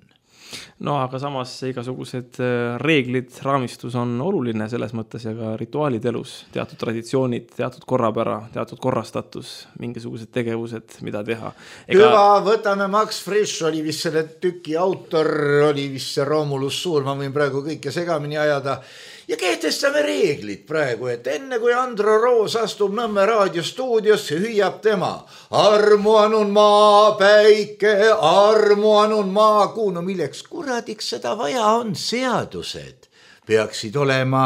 Speaker 4: No aga samas igasugused reeglid, raamistus on oluline selles mõttes ja ka rituaalid elus, teatud traditsioonid, teatud korrapära, teatud korrastatus, mingisugused tegevused, mida teha.
Speaker 3: Hüva, võtame Max Frisch, oli vist selle tüki autor, oli vist see Romulus Suur, ma võin praegu kõike segamini ajada. Ja kehtestame reeglid praegu, et enne kui Andro Roos astub Nõmme raadiostuudiosse, hüüab tema armuanun maa päike, armuanun maa kuu. No milleks kuradiks seda vaja on? Seadused peaksid olema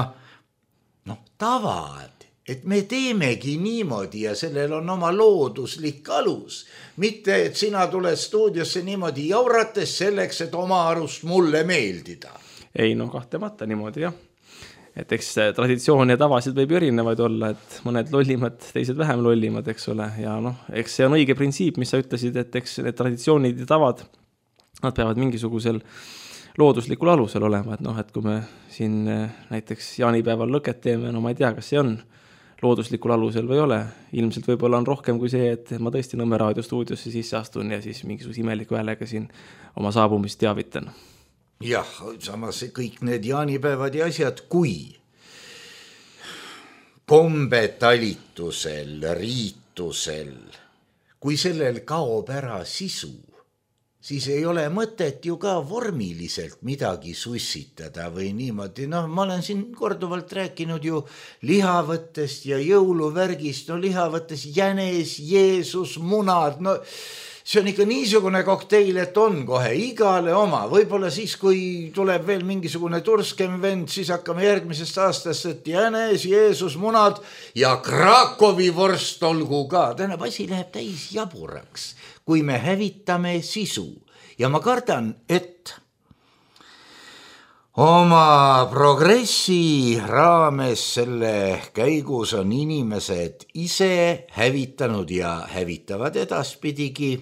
Speaker 3: tavad, et me teemegi niimoodi ja sellel on oma looduslik alus. Mitte, et sina tuled stuudiosse niimoodi jaurates selleks, et oma arust mulle meeldida.
Speaker 4: Ei, kahtlemata niimoodi, jah. Et eks traditsioon ja tavasid võib erinevaid olla, et mõned lollimad, teised vähem lollimad, eks ole. Ja eks see on õige printsiip, mis sa ütlesid, et eks need traditsioonid ja tavad, nad peavad mingisugusel looduslikul alusel olema. Et kui me siin näiteks jaanipäeval lõket teeme, ma ei tea, kas see on looduslikul alusel või ole. Ilmselt võib-olla on rohkem kui see, et ma tõesti Nõmme raadiostuudiosse sisse astun ja siis mingisuguse imeliku häälega siin oma saabumist teavitan.
Speaker 3: Jah, samas kõik need jaanipäevad ja asjad, kui kombetalitusel, riitusel, kui sellel kaob ära sisu, siis ei ole mõtet ju ka vormiliselt midagi sussitada või niimoodi. Ma olen siin korduvalt rääkinud ju lihavõttest ja jõuluvärgist, lihavõttes jänes, Jeesus, munad, see on ikka niisugune kokteil, et on kohe igale oma. Võib-olla siis, kui tuleb veel mingisugune turskem vend, siis hakkame järgmisest aastast, et jänes, Jeesus, munad ja Krakowi vorst olgu ka. Tähendab, asi läheb täis jaburaks, kui me hävitame sisu. Ja ma kardan, et oma progressi raames selle käigus on inimesed ise hävitanud ja hävitavad edaspidigi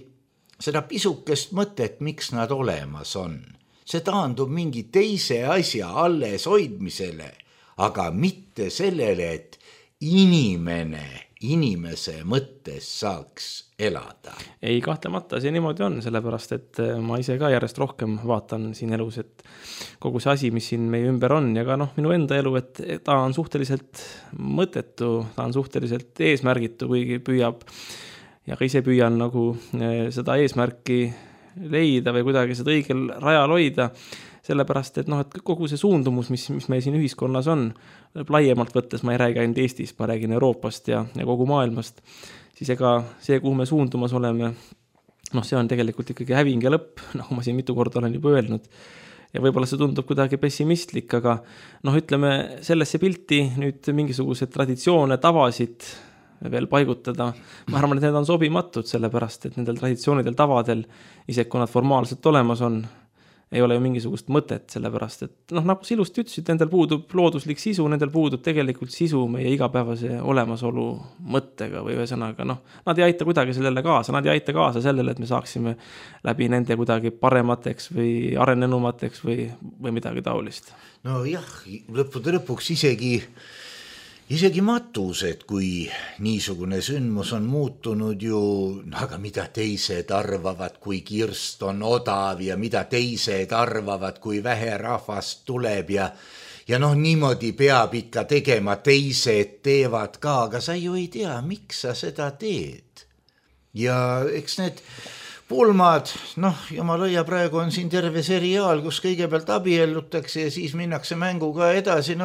Speaker 3: seda pisukest mõtet, miks nad olemas on. See taandub mingi teise asja alles hoidmisele, aga mitte sellele, et inimese mõttes saaks elada.
Speaker 4: Ei, kahtlemata see niimoodi on, sellepärast, et ma ise ka järjest rohkem vaatan siin elus, et kogu see asi, mis siin meie ümber on ja ka minu enda elu, et ta on suhteliselt mõttetu, ta on suhteliselt eesmärgitu, kuigi püüab ja ka ise püüan seda eesmärki leida või kuidagi seda õigel rajal hoida, sellepärast, et kogu see suundumus, mis meil siin ühiskonnas on, laiemalt võttes, ma ei räägi ainult Eestist, ma räägin Euroopast ja kogu maailmast, siis ega see, kuhu me suundumas oleme, see on tegelikult ikkagi häving ja lõpp, nagu ma siin mitu korda olen juba öelnud. Ja võib-olla see tundub kuidagi pessimistlik, aga ütleme sellesse pilti nüüd mingisugused traditsioone, tavasid veel paigutada. Ma arvan, et need on sobimatud, sellepärast, et nendel traditsioonidel, tavadel, isegi kui nad formaalselt olemas on, ei ole ju mingisugust mõtet, sellepärast, et nagu sa ilusti ütlesid, nendel puudub looduslik sisu, nendel puudub tegelikult sisu meie igapäevase olemasolu mõttega või ühesõnaga, nad ei aita kuidagi sellele kaasa, nad ei aita kaasa sellele, et me saaksime läbi nende kuidagi paremateks või arenenumateks või midagi taolist.
Speaker 3: Jah, lõppude lõpuks isegi matused, kui niisugune sündmus on muutunud ju, aga mida teised arvavad, kui kirst on odav ja mida teised arvavad, kui vähe rahvast tuleb ja niimoodi peab ikka tegema, teised teevad ka, aga sa ju ei tea, miks sa seda teed. Ja eks need pulmad, jumala ja praegu on siin terve seriaal, kus kõigepealt abiellutakse ja siis minnakse mänguga edasi,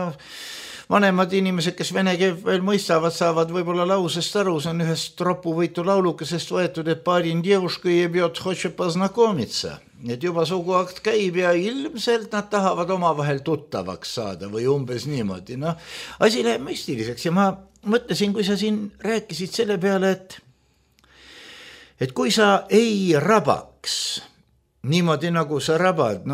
Speaker 3: vanemad inimesed, kes vene keelt veel mõistavad, saavad võib-olla lausest aru, see on ühest tropuvõitu laulukesest võetud, et parin девушка ебет, хочет познакомиться. Et juba suguakt käib ja ilmselt nad tahavad omavahel tuttavaks saada või umbes niimoodi. Asi läheb müstiliseks ja ma mõtlesin, kui sa siin rääkisid selle peale, et kui sa ei rabaks niimoodi, nagu sa rabad,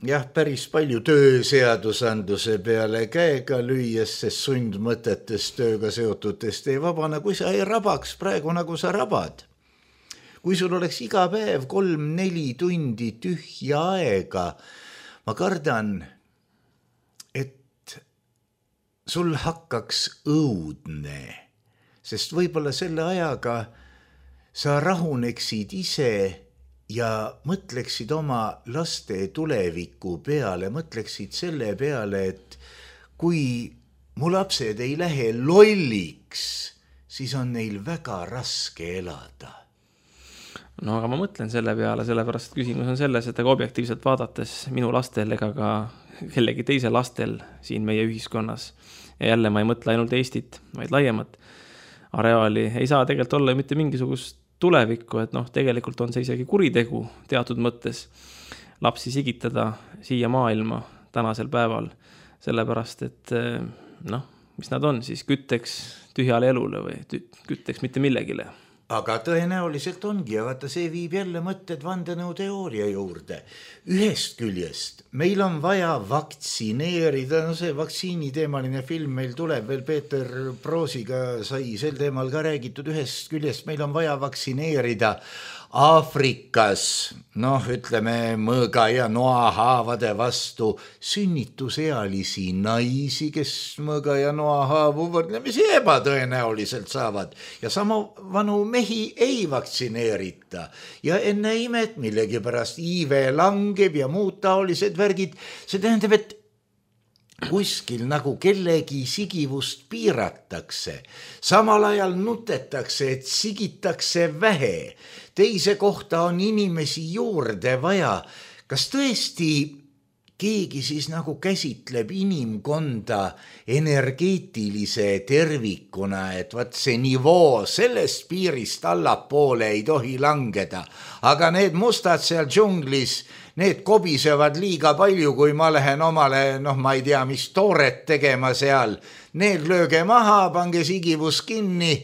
Speaker 3: jah, päris palju tööseadusandluse peale käega lüües, sest sundmõtetest tööga seotutest ei vabana, kui sa ei rabaks praegu, nagu sa rabad. Kui sul oleks iga päev 3-4 tundi tühja aega, ma kardan, et sul hakkaks õudne, sest võib-olla selle ajaga sa rahuneksid ise ja mõtleksid oma laste tuleviku peale, mõtleksid selle peale, et kui mu lapsed ei lähe lolliks, siis on neil väga raske elada.
Speaker 4: No aga ma mõtlen selle peale, sellepärast et küsimus on selles, et aga objektiivselt vaadates minu lastel ega ka kellegi teise lastel siin meie ühiskonnas ja jälle ma ei mõtle ainult Eestit, vaid laiemat areaali, ei saa tegelikult olla mitte mingisugust tulevikku, et tegelikult on see isegi kuritegu teatud mõttes lapsi sigitada siia maailma tänasel päeval, sellepärast et mis nad on siis, kütteks tühjale elule või kütteks mitte millegile.
Speaker 3: Aga tõenäoliselt ongi ja vaata, see viib jälle mõtted vandenõuteooria juurde. Ühest küljest meil on vaja vaktsineerida, see vaktsiiniteemaline film meil tuleb veel, Peeter Proosiga sai sel teemal ka räägitud, ühest küljest meil on vaja vaktsineerida Aafrikas, ütleme mõõga ja noahaavade vastu sünnitusealisi naisi, kes mõõga ja noahaavu võrdlemisi ebatõenäoliselt saavad ja sama vanu mehi ei vaktsineerita ja enne imet millegipärast iive langeb ja muud taolised värgid, see tähendab, et kuskil nagu kellegi sigivust piiratakse, samal ajal nutetakse, et sigitakse vähe, teise kohta on inimesi juurde vaja. Kas tõesti keegi siis nagu käsitleb inimkonda energeetilise tervikuna, et vaat see nivoo sellest piirist allapoole ei tohi langeda, aga need mustad seal džunglis, need kobisevad liiga palju, kui ma lähen omale, ma ei tea, mis tooret tegema seal. Need lööge maha, pange sigivus kinni.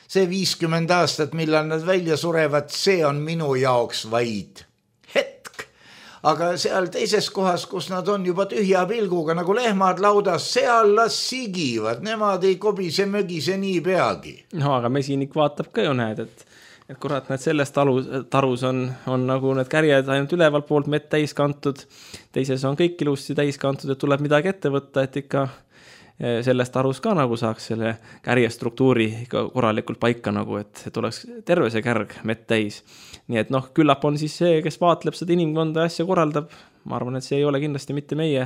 Speaker 3: See 50 aastat, millal nad välja surevad, see on minu jaoks vaid hetk. Aga seal teises kohas, kus nad on juba tühja pilguga, nagu lehmad laudas, seal las sigivad. Nemad ei kobise mögise nii peagi.
Speaker 4: No, aga mesinik vaatab ka ju näed, et kurat, need sellest tarus on nagu need kärjed ainult ülevalt poolt mett täis kantud, teises on kõik ilusti täis kantud, et tuleb midagi ette võtta, et ikka sellest tarus ka nagu saaks selle kärjestruktuuri ikka korralikult paika nagu, et oleks terve see kärg mett täis. Nii et küllap on siis see, kes vaatleb seda inimkonda asja korraldab, ma arvan, et see ei ole kindlasti mitte meie,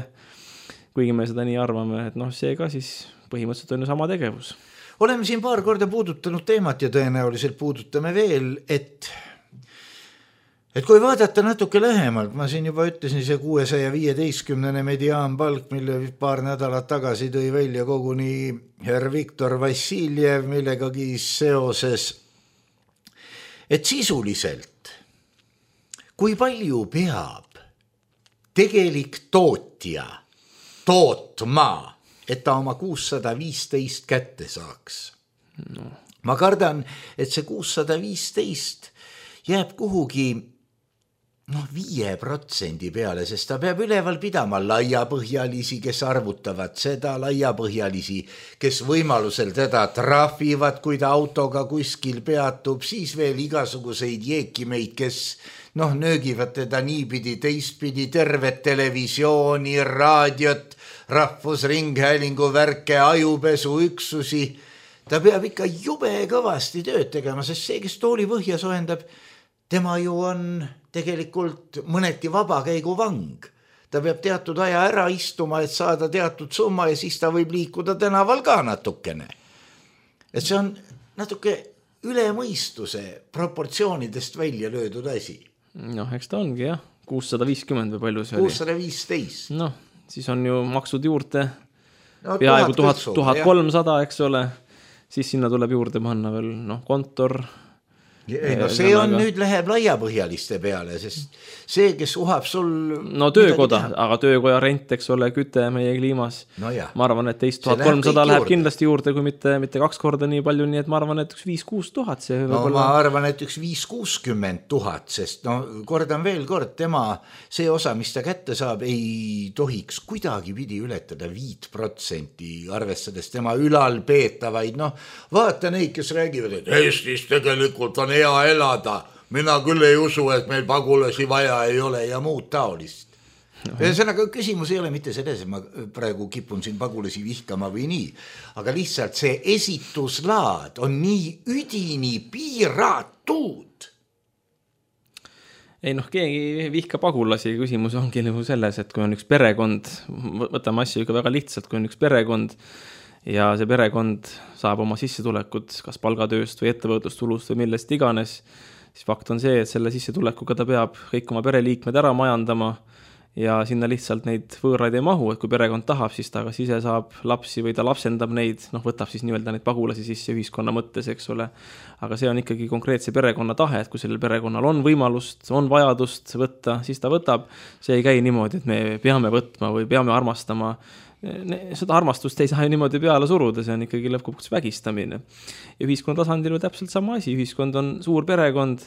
Speaker 4: kuigi me seda nii arvame, et see ka siis põhimõtteliselt on ju sama tegevus.
Speaker 3: Oleme siin paar korda puudutanud teemat ja tõenäoliselt puudutame veel, et kui vaadata natuke lähemalt, ma siin juba ütlesin see 615 mediaanpalk, mille paar nädalat tagasi tõi välja koguni herr Viktor Vassiljev millegagi seoses, et sisuliselt, kui palju peab tegelik tootja tootma, et ta oma 615 kätte saaks. Ma kardan, et see 615 jääb kuhugi 5% peale, sest ta peab üleval pidama laiapõhjalisi, kes arvutavad seda, laiapõhjalisi, kes võimalusel teda trahvivad, kui ta autoga kuskil peatub, siis veel igasuguseid jeekimeid, kes nöögivad teda niipidi, teistpidi, tervet televisiooni, raadiot, rahvusringhäälingu värke, ajupesu üksusi. Ta peab ikka jube kõvasti tööd tegema, sest see, kes tooli põhja soendab, tema ju on tegelikult mõneti vabakäigu vang. Ta peab teatud aja ära istuma, et saada teatud summa ja siis ta võib liikuda tänaval ka natukene. Et see on natuke üle mõistuse proportsioonidest välja löödud asi.
Speaker 4: Eks ta ongi jah, 650 või palju see oli?
Speaker 3: 615.
Speaker 4: Siis on ju maksud juurde peaaegu 1300, eks ole, siis sinna tuleb juurde panna veel kontor.
Speaker 3: See on nüüd läheb laiapõhjaliste peale, sest see, kes uhab sul...
Speaker 4: töökoda, aga töökoja rent, eks ole, küte meie kliimas. Ma arvan, et 1300 läheb kindlasti juurde, kui mitte 2 korda nii palju, nii et ma arvan, et üks 5-6 tuhat see
Speaker 3: ma arvan, et üks 5-60 tuhat, sest kordan veel kord, tema see osa, mis ta kätte saab, ei tohiks kuidagi pidi ületada 5%, arvestades tema ülal peetavaid. Vaata neid, kes räägivad, et Eestis tegelikult on hea elada. Mina küll ei usu, et meil pagulasi vaja ei ole ja muud taolist. Ühesõnaga, küsimus ei ole mitte selles, et ma praegu kipun siin pagulasi vihkama või nii, aga lihtsalt see esituslaad on nii üdini piiratud.
Speaker 4: Ei keegi vihka pagulasi, küsimus ongi selles, et kui on üks perekond, võtame asju ikka väga lihtsalt, kui on üks perekond ja see perekond saab oma sissetulekut kas palgatööst või ettevõtlustulust või millest iganes, siis fakt on see, et selle sissetulekuga ta peab kõik oma pereliikmed ära majandama ja sinna lihtsalt neid võõraid ei mahu, et kui perekond tahab, siis ta kas ise saab lapsi või ta lapsendab neid, võtab siis nii-öelda neid pagulasi sisse ühiskonna mõttes, eks ole. Aga see on ikkagi konkreetse perekonna tahe, et kui sellel perekonnal on võimalust, on vajadust võtta, siis ta võtab. See ei käi niimoodi, et me peame võtma või peame armastama. Seda armastust ei saa ju niimoodi peale suruda, see on ikkagi lõpuks vägistamine. Ja ühiskonna tasandil on täpselt sama asi, ühiskond on suur perekond,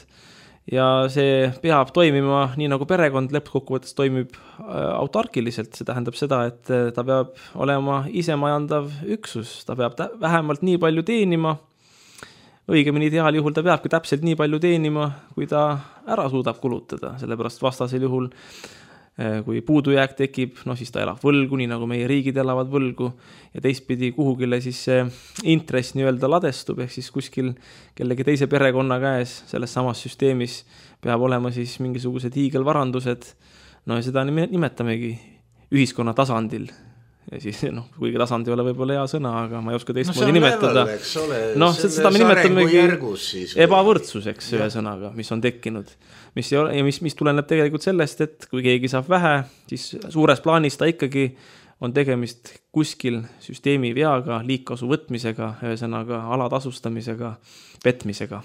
Speaker 4: ja see peab toimima nii nagu perekond lõppkokkuvõttes toimib autarkiliselt, see tähendab seda, et ta peab olema isemajandav üksus, ta peab vähemalt nii palju teenima, õigemini ideaaljuhul ta peabki täpselt nii palju teenima, kui ta ära suudab kulutada, sellepärast vastasel juhul kui puudujääk tekib, siis ta elab võlgu, nii nagu meie riigid elavad võlgu ja teistpidi kuhugile siis see intress nii-öelda ladestub, ehk siis kuskil kellegi teise perekonna käes selles samas süsteemis peab olema siis mingisugused hiigelvarandused, ja seda nimetamegi ühiskonna tasandil. Ja siis, kuigi tasand ei ole võib-olla hea sõna, aga ma ei oska teistmoodi nimetada. Seda me nimetamegi ebavõrdsuseks ühe sõnaga, mis on tekkinud. Mis tuleneb tegelikult sellest, et kui keegi saab vähe, siis suures plaanis ta ikkagi on tegemist kuskil süsteemi veaga, liigkasu võtmisega, ühesõnaga alatasustamisega, petmisega.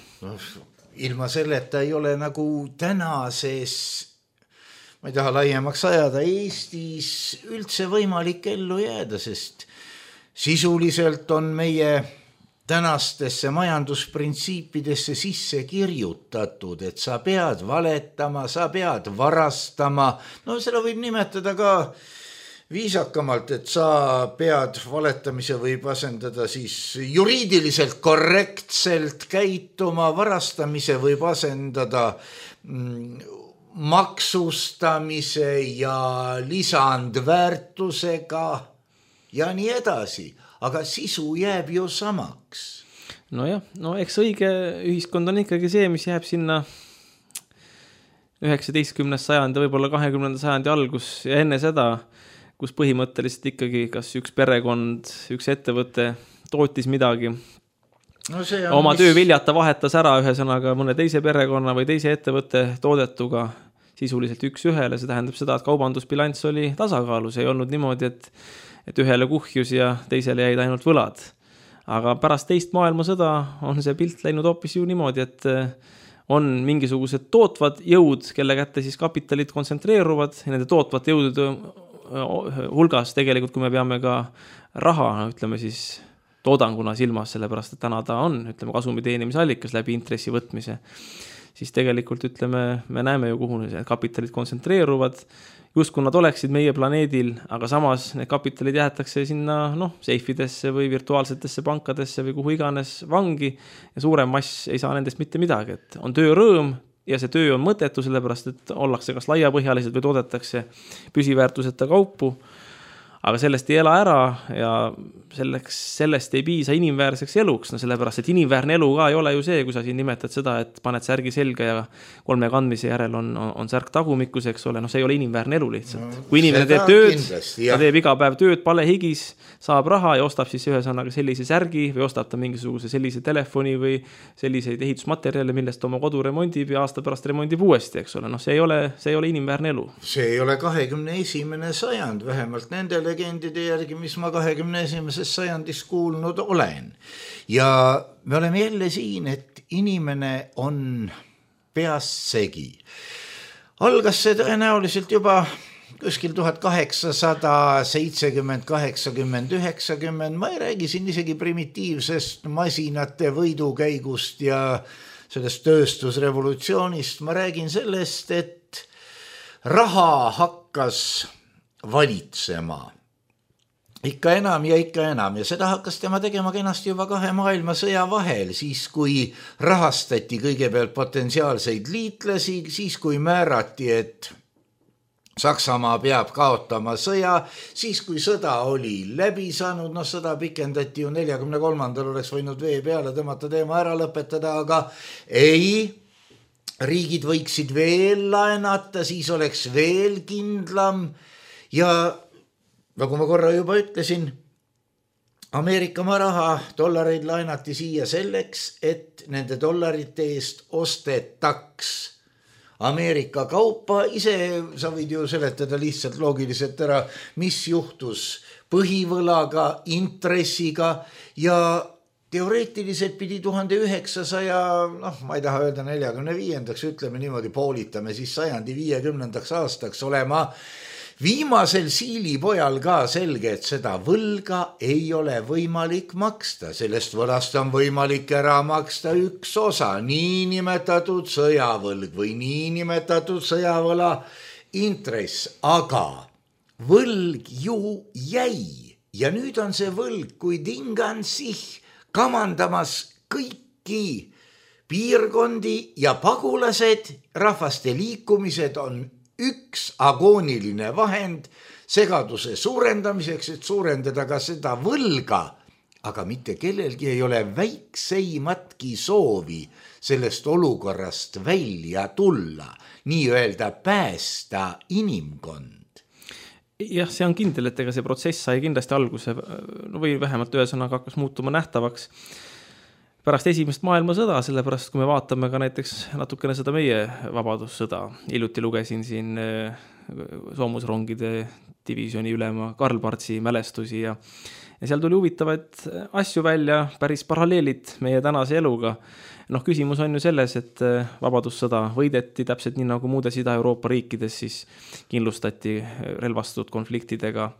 Speaker 3: Ilma selleta ei ole nagu tänases, ma ei taha laiemaks ajada, Eestis üldse võimalik ellu jääda, sest sisuliselt on meie tänastesse majandusprintsiipidesse sisse kirjutatud, et sa pead valetama, sa pead varastama, seda võib nimetada ka viisakamalt, et sa pead valetamise võib asendada siis juriidiliselt korrektselt käituma, varastamise võib asendada maksustamise ja lisandväärtusega ja nii edasi, aga sisu jääb ju samaks.
Speaker 4: Eks õige ühiskond on ikkagi see, mis jääb sinna 19. sajandi, võib-olla 20. sajandi algus ja enne seda, kus põhimõtteliselt ikkagi kas üks perekond, üks ettevõte tootis midagi, oma töö viljata vahetas ära ühesõnaga mõne teise perekonna või teise ettevõtte toodetuga sisuliselt üks ühele, see tähendab seda, et kaubandusbilanss oli tasakaalus, ei olnud niimoodi, et ühele kuhjus ja teisele jäid ainult võlad. Aga pärast teist maailmasõda on see pilt läinud hoopis ju niimoodi, et on mingisugused tootvad jõud, kelle kätte siis kapitalid kontsentreeruvad ja nende tootvad jõudude hulgas tegelikult, kui me peame ka raha, ütleme siis toodanguna silmas, sellepärast, et täna ta on, kasumi teenimise allikas läbi intressi võtmise, siis tegelikult, me näeme ju, kuhu need kapitalid kontsentreeruvad, justkui nad oleksid meie planeedil, aga samas need kapitalid jäetakse sinna, seifidesse või virtuaalsetesse pankadesse või kuhu iganes vangi ja suurem mass ei saa nendest mitte midagi, et on töörõõm ja see töö on mõttetu, sellepärast, et ollakse kas laiapõhjaliselt või toodetakse püsiväärtuseta kaupu, aga sellest ei ela ära ja sellest ei piisa inimväärseks eluks, sellepärast, et inimväärne elu ka ei ole ju see, kui sa siin nimetad seda, et paned särgi selga ja 3 kandmise järel on särk tagumikus, eks ole, see ei ole inimväärne elu lihtsalt. Kui inimene teeb tööd, ta teeb iga päev tööd, palehigis, saab raha ja ostab siis ühesõnaga sellise särgi või ostab ta mingisuguse sellise telefoni või selliseid ehitusmaterjale, millest oma kodu remondib ja aasta pärast remondib uuesti, eks ole. See ei ole inimväärne elu.
Speaker 3: See ei ole 21. sajand, vähemalt nende legendide järgi, mis ma 21. sajandis kuulnud olen. Ja me oleme jälle siin, et inimene on peast segi. Algas see tõenäoliselt juba kuskil 1870, 80, 90, ma ei räägi siin isegi primitiivsest masinate võidukäigust ja sellest tööstusrevolutsioonist, ma räägin sellest, et raha hakkas valitsema ikka enam ja seda hakkas tema tegema kenasti juba 2 maailmasõja vahel, siis kui rahastati kõigepealt potentsiaalseid liitlasi, siis kui määrati, et Saksamaa peab kaotama sõja, siis kui sõda oli läbi saanud, sõda pikendati ju 43. oleks võinud vee peale tõmmata teema ära lõpetada, aga ei, riigid võiksid veel laenata, siis oleks veel kindlam ja nagu ma korra juba ütlesin, Ameerika raha, dollareid laenati siia selleks, et nende dollarite eest ostetaks Ameerika kaupa. Ise sa võid ju seletada lihtsalt loogiliselt ära, mis juhtus põhivõlaga, intressiga ja teoreetiliselt pidi 1900, ma ei taha öelda 45, ütleme niimoodi, poolitame siis 150. aastaks olema viimasel siilipojal ka selge, et seda võlga ei ole võimalik maksta. Sellest võlast on võimalik ära maksta üks osa, niinimetatud sõjavõlg või niinimetatud sõjavõla intress, aga võlg ju jäi ja nüüd on see võlg kui tingan sich kamandamas kõiki piirkondi ja pagulased, rahvaste liikumised on üks agooniline vahend segaduse suurendamiseks, et suurendada ka seda võlga, aga mitte kellelgi ei ole väikseimatki soovi sellest olukorrast välja tulla, nii-öelda päästa inimkond.
Speaker 4: Jah, see on kindel, et ega see protsess sai kindlasti alguse või vähemalt ühesõnaga hakkas muutuma nähtavaks pärast esimest maailmasõda, sellepärast kui me vaatame ka näiteks natukene seda meie vabadussõda. Hiljuti lugesin siin soomusrongide divisjoni ülema Karl Partsi mälestusi ja seal tuli huvitavaid asju välja, päris paralleelid meie tänase eluga. Küsimus on ju selles, et vabadussõda võideti täpselt nii nagu muudes Ida-Euroopa riikides, siis kindlustati relvastatud konfliktidega,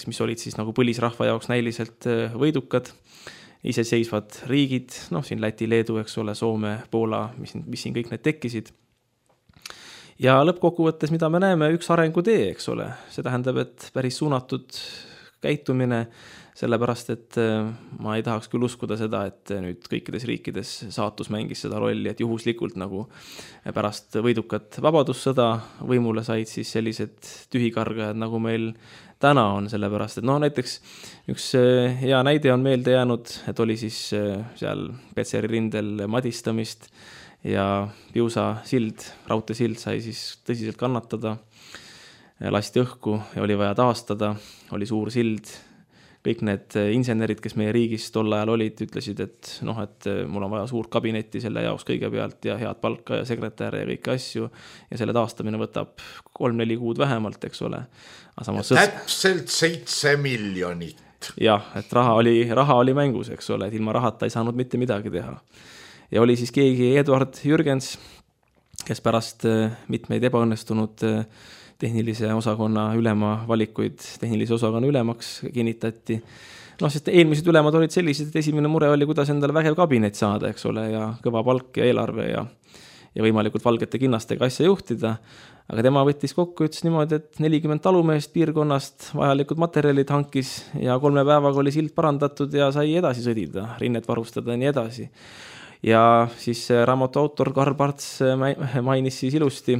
Speaker 4: mis olid siis nagu põlisrahva jaoks näiliselt võidukad, iseseisvad riigid, siin Läti, Leedu, eks ole, Soome, Poola, mis siin kõik need tekkisid. Ja lõppkokkuvõttes, mida me näeme, üks arengutee, eks ole, see tähendab, et päris suunatud käitumine, sellepärast, et ma ei tahaks küll uskuda seda, et nüüd kõikides riikides saatus mängis seda rolli, et juhuslikult nagu pärast võidukat vabadussõda võimule said siis sellised tühikargajad, nagu meil täna on, sellepärast, et näiteks üks hea näide on meelde jäänud, et oli siis seal Petseri rindel madistamist ja Piusa sild, raudteesild sai siis tõsiselt kannatada, lasti õhku ja oli vaja taastada, oli suur sild. Kõik need insenerid, kes meie riigis tol ajal olid, ütlesid, et mul on vaja suurt kabinetti selle jaoks kõigepealt ja head palka ja sekretäre ja kõiki asju ja selle taastamine võtab 3-4 kuud vähemalt, eks ole.
Speaker 3: Täpselt 7 miljonit.
Speaker 4: Jah, et raha oli mängus, eks ole, et ilma rahata ei saanud mitte midagi teha. Ja oli siis keegi Eduard Jürgens, kes pärast mitmeid ebaõnnestunud tehnilise osakonna ülema valikuid tehnilise osakonna ülemaks kinnitati. Sest eelmised ülemad olid sellised, et esimene mure oli, kuidas endale vägev kabinet saada, eks ole, ja kõva palk ja eelarve ja võimalikult valgete kinnastega asja juhtida. Aga tema võttis kokku, ütles niimoodi, et 40 talumeest piirkonnast vajalikud materjalid hankis ja 3 päevaga oli sild parandatud ja sai edasi sõdida, rinnet varustada ja nii edasi. Ja siis raamatu autor Karl Parts mainis siis ilusti,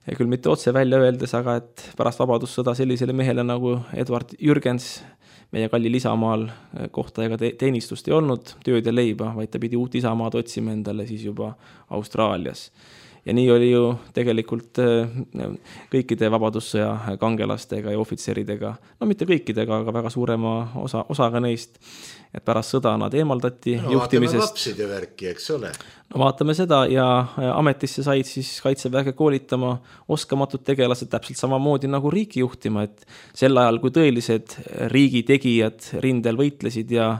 Speaker 4: küll mitte otse välja öeldes, aga et pärast vabadussõda sellisele mehele nagu Eduard Jürgens, meie kallil Isamaal kohta ega teenistust ei olnud, tööd ja leiba, vaid ta pidi uut Isamaad otsima endale siis juba Austraalias. Ja nii oli ju tegelikult kõikide vabadussõja kangelastega ja ohvitseridega, mitte kõikidega, aga väga suurema osaga neist, et pärast sõda nad eemaldati juhtimisest.
Speaker 3: Vaatame lapside värki, eks ole.
Speaker 4: Vaatame seda ja ametisse said siis kaitseväge koolitama oskamatud tegelased täpselt samamoodi nagu riiki juhtima, et sel ajal, kui tõelised riigi tegijad rindel võitlesid ja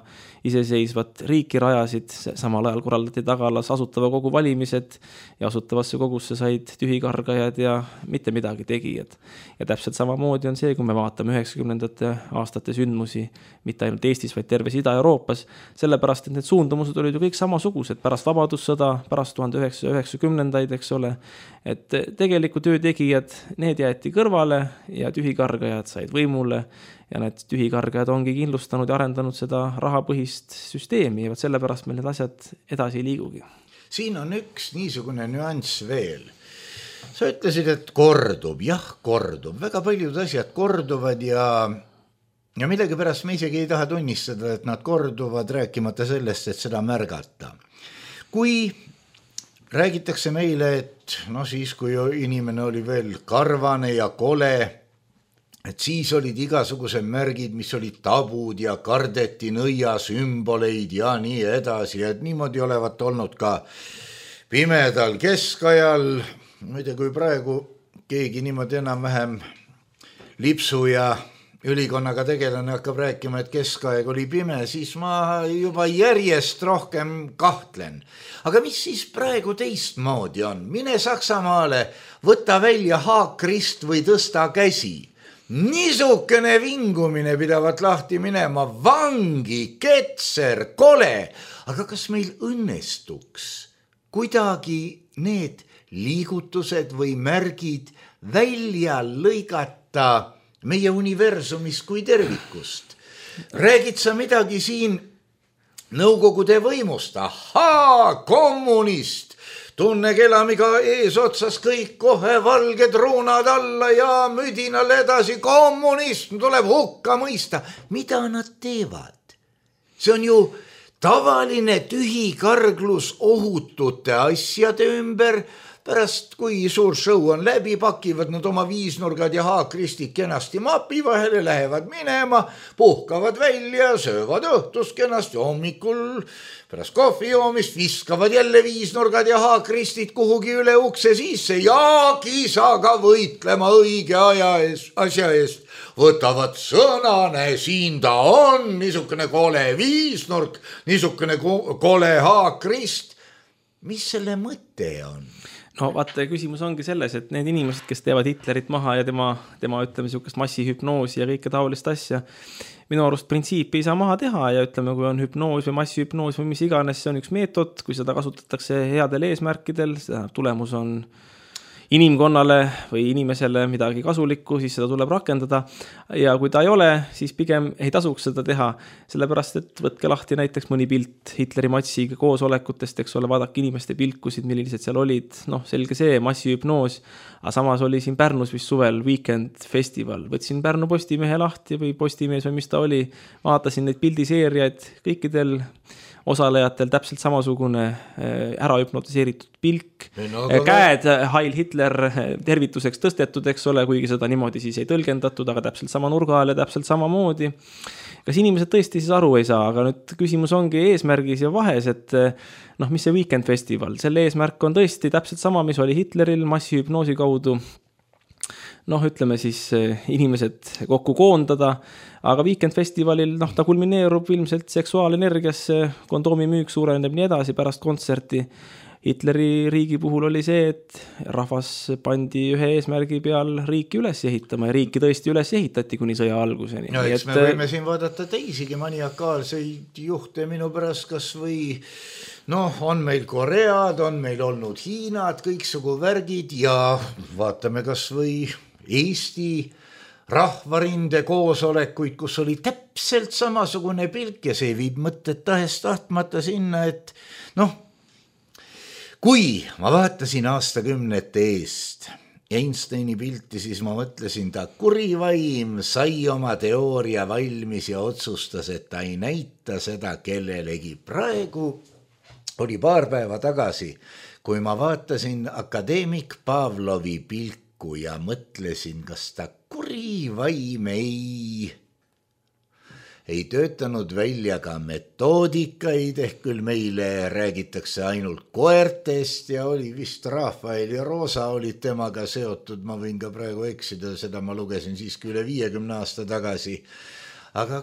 Speaker 4: iseseisvat riiki rajasid, samal ajal korraldati tagalas asutava kogu valimised ja asutavasse kogusse said tühikargajad ja mitte midagi tegijad. Ja täpselt samamoodi on see, kui me vaatame 90. aastate sündmusi, mitte ainult Eestis, vaid terves Ida-Euroopas, sellepärast, et need suundumused olid ju kõik samasugused pärast vabadussõda, pärast 1990-ndaid, eks ole, et tegelikult töötegijad, need jäeti kõrvale ja tühikargajad said võimule ja need tühikargajad ongi kindlustanud ja arendanud seda rahapõhist süsteemi ja sellepärast meil need asjad edasi ei liigugi.
Speaker 3: Siin on üks niisugune nüanss veel. Sa ütlesid, et kordub, väga paljud asjad korduvad ja millegipärast me isegi ei taha tunnistada, et nad korduvad, rääkimata sellest, et seda märgata. Kui räägitakse meile, et siis, kui inimene oli veel karvane ja kole, et siis olid igasugused märgid, mis olid tabud ja kardeti nõia sümboleid ja nii edasi, et niimoodi olevat olnud ka pimedal keskajal. Muide, kui praegu keegi niimoodi enam-vähem lipsu ja ülikonnaga tegelane hakkab rääkima, et keskaeg oli pime, siis ma juba järjest rohkem kahtlen. Aga mis siis praegu teistmoodi on? Mine Saksamaale, võta välja haakrist või tõsta käsi. Niisugune vingumine pidavat lahti minema, vangi, ketser, kole. Aga kas meil õnnestuks kuidagi need liigutused või märgid välja lõigata meie universumist kui tervikust? Räägid sa midagi siin Nõukogude võimust? Ahaa, kommunist! Tunne kelamiga eesotsas kõik kohe valged ruunad alla ja müdinal edasi. Kommunism tuleb hukka mõista. Mida nad teevad? See on ju tavaline tühi karglus ohutute asjade ümber. Pärast, kui suur show on läbi, pakivad nad oma viisnurgad ja haakristid kenasti mapi vahele, lähevad minema, puhkavad välja, söövad õhtust kenasti, hommikul pärast kohvi joomist viskavad jälle viisnurgad ja haakristid kuhugi üle ukse sisse ja kisaga võitlema õige asja eest. Võtavad sõnane, siin ta on, niisugune kole viisnurk, niisugune kole haakrist. Mis selle mõte on?
Speaker 4: No vaata, küsimus ongi selles, et need inimesed, kes teevad Hitlerit maha ja tema ütleme, niisugust massihüpnoosi ja kõike taolist asja, minu arust printsiipi ei saa maha teha ja ütleme, kui on hüpnoos või massihüpnoos või mis iganes, see on üks meetod, kui seda kasutatakse headel eesmärkidel, tulemus on inimkonnale või inimesele midagi kasulikku, siis seda tuleb rakendada ja kui ta ei ole, siis pigem ei tasuks seda teha, sellepärast, et võtke lahti näiteks mõni pilt Hitleri matsiga koosolekutest, eks ole, vaadake inimeste pilkusid, millised seal olid, selge see, massihüpnoos, aga samas oli siin Pärnus vist suvel Weekend Festival, võtsin Pärnu Postimehe lahti või Postimees või mis ta oli, vaatasin neid pildiseeriaid, kõikidel osalejatel täpselt samasugune ära hüpnotiseeritud pilk, käed Heil Hitler tervituseks tõstetud, eks ole, kuigi seda niimoodi siis ei tõlgendatud, aga täpselt sama nurga all ja täpselt samamoodi. Kas inimesed tõesti siis aru ei saa, aga nüüd küsimus ongi eesmärgis ja vahes, et mis see Weekend Festival, selle eesmärk on tõesti täpselt sama, mis oli Hitleril massihüpnoosi kaudu, ütleme siis inimesed kokku koondada, aga Weekend Festivalil ta kulmineerub ilmselt seksuaalenergiasse, kondoomi müük suureneb nii edasi pärast kontserti. Hitleri riigi puhul oli see, et rahvas pandi ühe eesmärgi peal riiki üles ehitama ja riiki tõesti üles ehitati kuni sõja alguseni.
Speaker 3: No eks me võime siin vaadata teisigi maniakaalseid juhte minu pärast, kas või on meil Koread, on meil olnud Hiinad, kõiksugu värgid ja vaatame kas või Eesti rahvarinde koosolekuid, kus oli täpselt samasugune pilk ja see viib mõtted tahest tahtmata sinna, et kui ma vaatasin aastakümnete eest Einsteini pilti, siis ma mõtlesin, ta kurivaim sai oma teooria valmis ja otsustas, et ta ei näita seda kellelegi. Praegu oli paar päeva tagasi, kui ma vaatasin akadeemik Pavlovi pilku ja mõtlesin, kas ta kurivaim ei töötanud välja ka metoodikaid, ehk küll meile räägitakse ainult koertest ja oli vist Rafael ja Rosa olid temaga seotud, ma võin ka praegu eksida, seda ma lugesin siiski üle 50 aasta tagasi, aga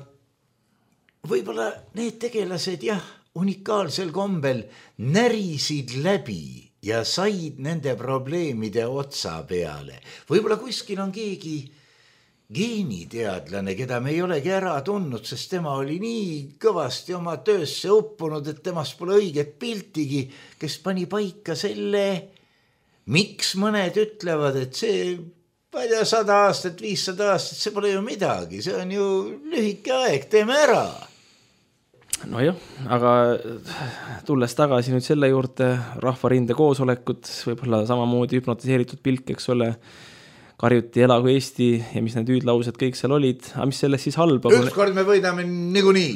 Speaker 3: võib-olla need tegelased unikaalsel kombel närisid läbi ja said nende probleemide otsa peale. Võib-olla kuskil on keegi geeniteadlane, keda me ei olegi ära tundnud, sest tema oli nii kõvasti oma töösse uppunud, et temast pole õiget piltigi, kes pani paika selle, miks mõned ütlevad, et see 100 aastat, 500 aastat, see pole ju midagi, see on ju lühike aeg, teeme ära.
Speaker 4: Nojah, aga tulles tagasi nüüd selle juurde, rahvarinde koosolekud, võib-olla samamoodi hüpnotiseeritud pilk, eks ole, karjuti elagu Eesti ja mis need hüüdlaused kõik seal olid, aga mis sellest siis halba?
Speaker 3: Ükskord me võidame niikuinii.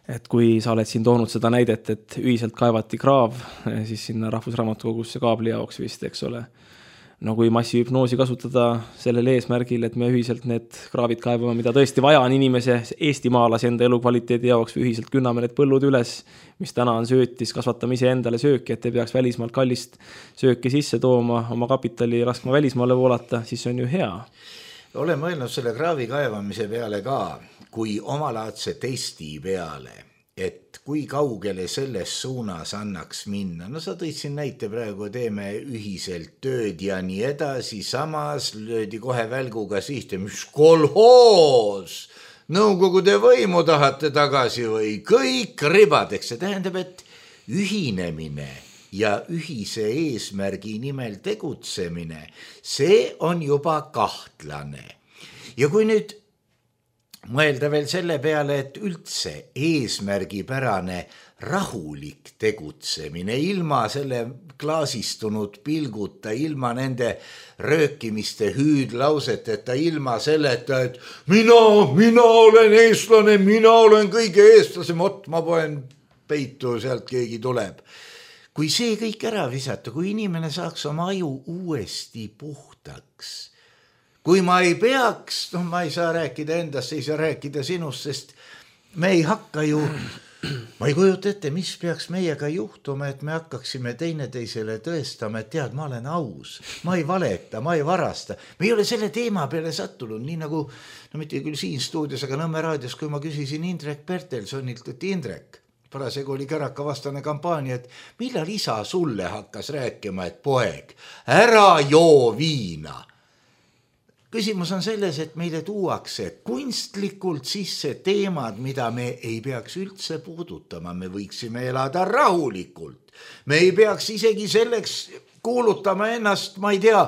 Speaker 4: et kui sa oled siin toonud seda näidet, et ühiselt kaevati kraav, siis sinna Rahvusraamatukogusse kaabli jaoks vist, eks ole. No kui massihüpnoosi kasutada sellel eesmärgil, et me ühiselt need kraavid kaevame, mida tõesti vaja on inimese eestimaalase enda elukvaliteedi jaoks, või ühiselt künname need põllud üles, mis täna on söötis, kasvatame ise endale sööki, et ei peaks välismaalt kallist sööki sisse tooma, oma kapitali laskma välismaale voolata, siis on ju hea.
Speaker 3: Olen mõelnud selle kraavi kaevamise peale ka, kui omalaadse testi peale, et kui kaugele selles suunas annaks minna. No sa tõid siin näite praegu, teeme ühiselt tööd ja nii edasi, samas löödi kohe välguga sihte, mis kolhoos, nõukogude võimu tahate tagasi või kõik ribadeks. See tähendab, et ühinemine ja ühise eesmärgi nimel tegutsemine, see on juba kahtlane. Ja kui nüüd mõelda veel selle peale, et üldse eesmärgipärane rahulik tegutsemine, ilma selle klaasistunud pilguta, ilma nende röökimiste hüüdlauseteta, ilma selleta, et mina olen eestlane, mina olen kõige eestlasem, ma poen peitu, sealt keegi tuleb. Kui see kõik ära visata, kui inimene saaks oma aju uuesti puhtaks, kui ma ei peaks, ma ei saa rääkida endast, ei saa rääkida sinust, sest me ei hakka ju, ma ei kujuta ette, mis peaks meiega juhtuma, et me hakkaksime teineteisele tõestama, et tead, ma olen aus, ma ei valeta, ma ei varasta. Me ei ole selle teema peale sattunud, nii nagu, no mitte küll siin stuudios, aga Nõmme raadios, kui ma küsisin Indrek Pertelsonilt, et Indrek, parasegu oli Käraka vastane kampaania, et millal isa sulle hakkas rääkima, et poeg, ära joo viina. Küsimus on selles, et meile tuuakse kunstlikult sisse teemad, mida me ei peaks üldse puudutama. Me võiksime elada rahulikult. Me ei peaks isegi selleks kuulutama ennast, ma ei tea,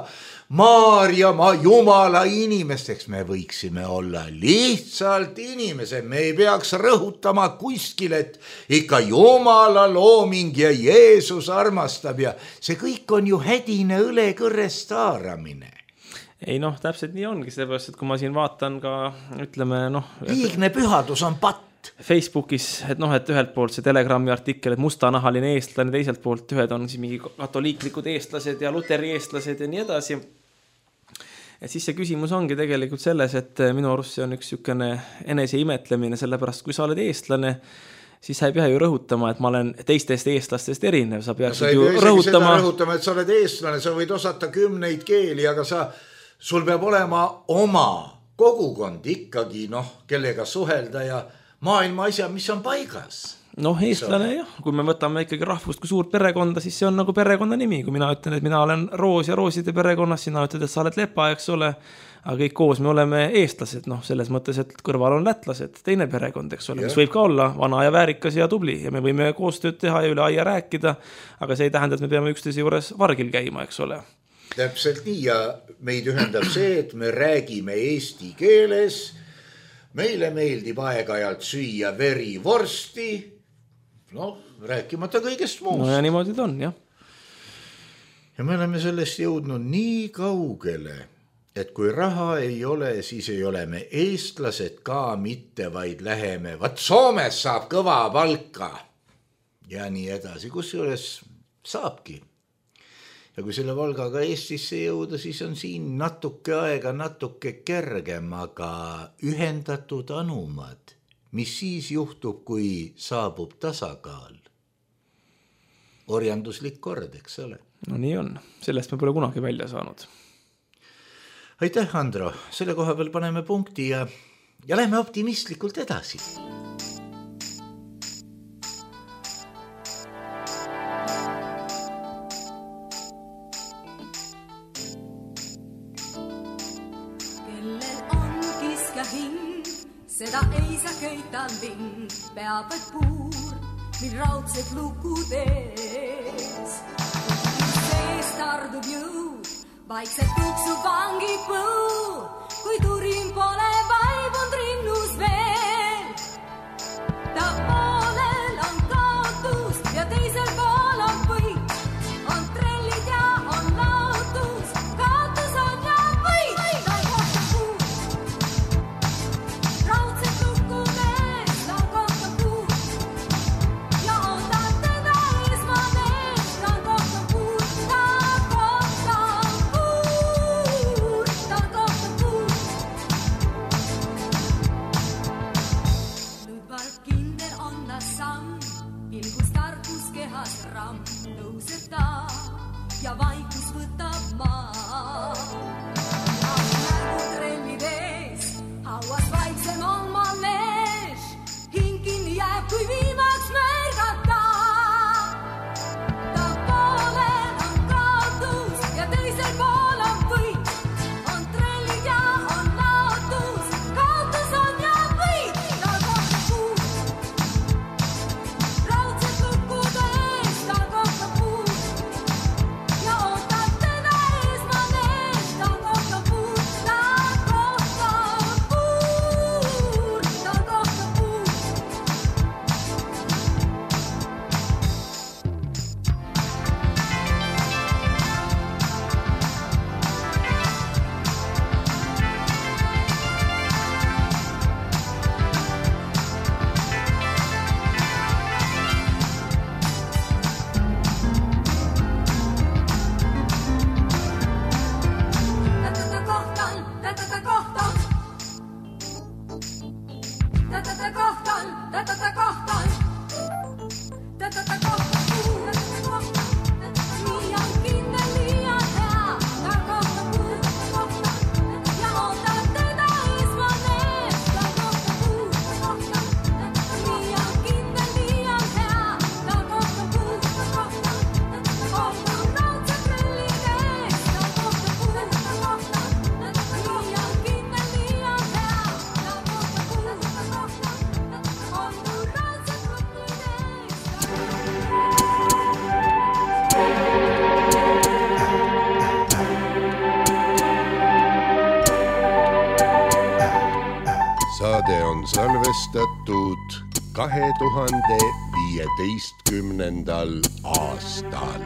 Speaker 3: Maarja, Jumala inimesteks. Me võiksime olla lihtsalt inimesed. Me ei peaks rõhutama kuskil, et ikka Jumala looming ja Jeesus armastab ja see kõik on ju hädine õlekõrrest haaramine.
Speaker 4: Ei täpselt nii ongi, sellepärast, et kui ma siin vaatan ka, ütleme,
Speaker 3: liigne pühadus on patt.
Speaker 4: Facebookis, et ühelt poolt see Telegrami artikkel, et mustanahaline eestlane, teiselt poolt ühed on siis mingi katoliiklikud eestlased ja luteri eestlased ja nii edasi. Et siis see küsimus ongi tegelikult selles, et minu arust see on üks sükene enese imetlemine, sellepärast kui sa oled eestlane, siis sa ei pea ju rõhutama, et ma olen teistest eestlastest erinev. Sa peaksid ju rõhutama,
Speaker 3: et sa oled eestlane, sa võid osata 10 keeli, aga sul peab olema oma kogukond ikkagi, kellega suhelda ja maailma asja, mis on paigas.
Speaker 4: Eestlane jah, kui me võtame ikkagi rahvust kui suurt perekonda, siis see on nagu perekonna nimi. Kui mina ütlen, et mina olen Roos ja Rooside perekonnas, sina ütled, et sa oled Lepa, eks ole, aga kõik koos me oleme eestlased, selles mõttes, et kõrval on lätlased, teine perekond, eks ole, mis võib ka olla vana ja väärikas ja tubli ja me võime koostööd teha ja üle aia rääkida, aga see ei tähenda, et me peame üksteise juures vargil käima, eks ole.
Speaker 3: Täpselt nii ja meid ühendab see, et me räägime eesti keeles, meile meeldib aeg-ajalt süüa verivorsti, rääkimata kõigest muust.
Speaker 4: Ja niimoodi ta on, jah.
Speaker 3: Ja me oleme sellest jõudnud nii kaugele, et kui raha ei ole, siis ei ole me eestlased ka mitte, vaid läheme, Soomes saab kõva palka ja nii edasi, kusjuures saabki. Ja kui selle Volgaga Eestisse jõuda, siis on siin natuke aega, natuke kergem, aga ühendatud anumad, mis siis juhtub, kui saabub tasakaal? Orjanduslik kord, eks ole?
Speaker 4: No nii on, sellest me pole kunagi välja saanud.
Speaker 3: Aitäh, Andro, selle koha peal paneme punkti ja lähme optimistlikult edasi.
Speaker 5: Seda ei saa köitan vind, peab vaid puur, mil raudsed lukud ees. Sees tardub jõud, vaikselt tuksu vangi põu, kui turin pole vaibunud rinnus veel. Ta poolel on kaotus ja teisel pool on võit, on trellid ja on laotus, kaotus on ja võit. Ta kohtab puud, raudsed lukud ees, ta kohtab puud, ja vaikus võtab maa. Nägu trellid ees, hauas vaiksem on manees, hing kinni jääb, kui viimaks märgata. Ta poolel on kaotus ja teisel pool on võit. On trellid ja on laotus, kaotus on ja võit. Ta kohtab puud, raudsed lukkud ees, ta kohtab puud ja ootab teda eesmanees. Ta kohtab puud, ta kohtab puud, ta kohtab puud.
Speaker 6: Saade on salvestatud 2015. aastal.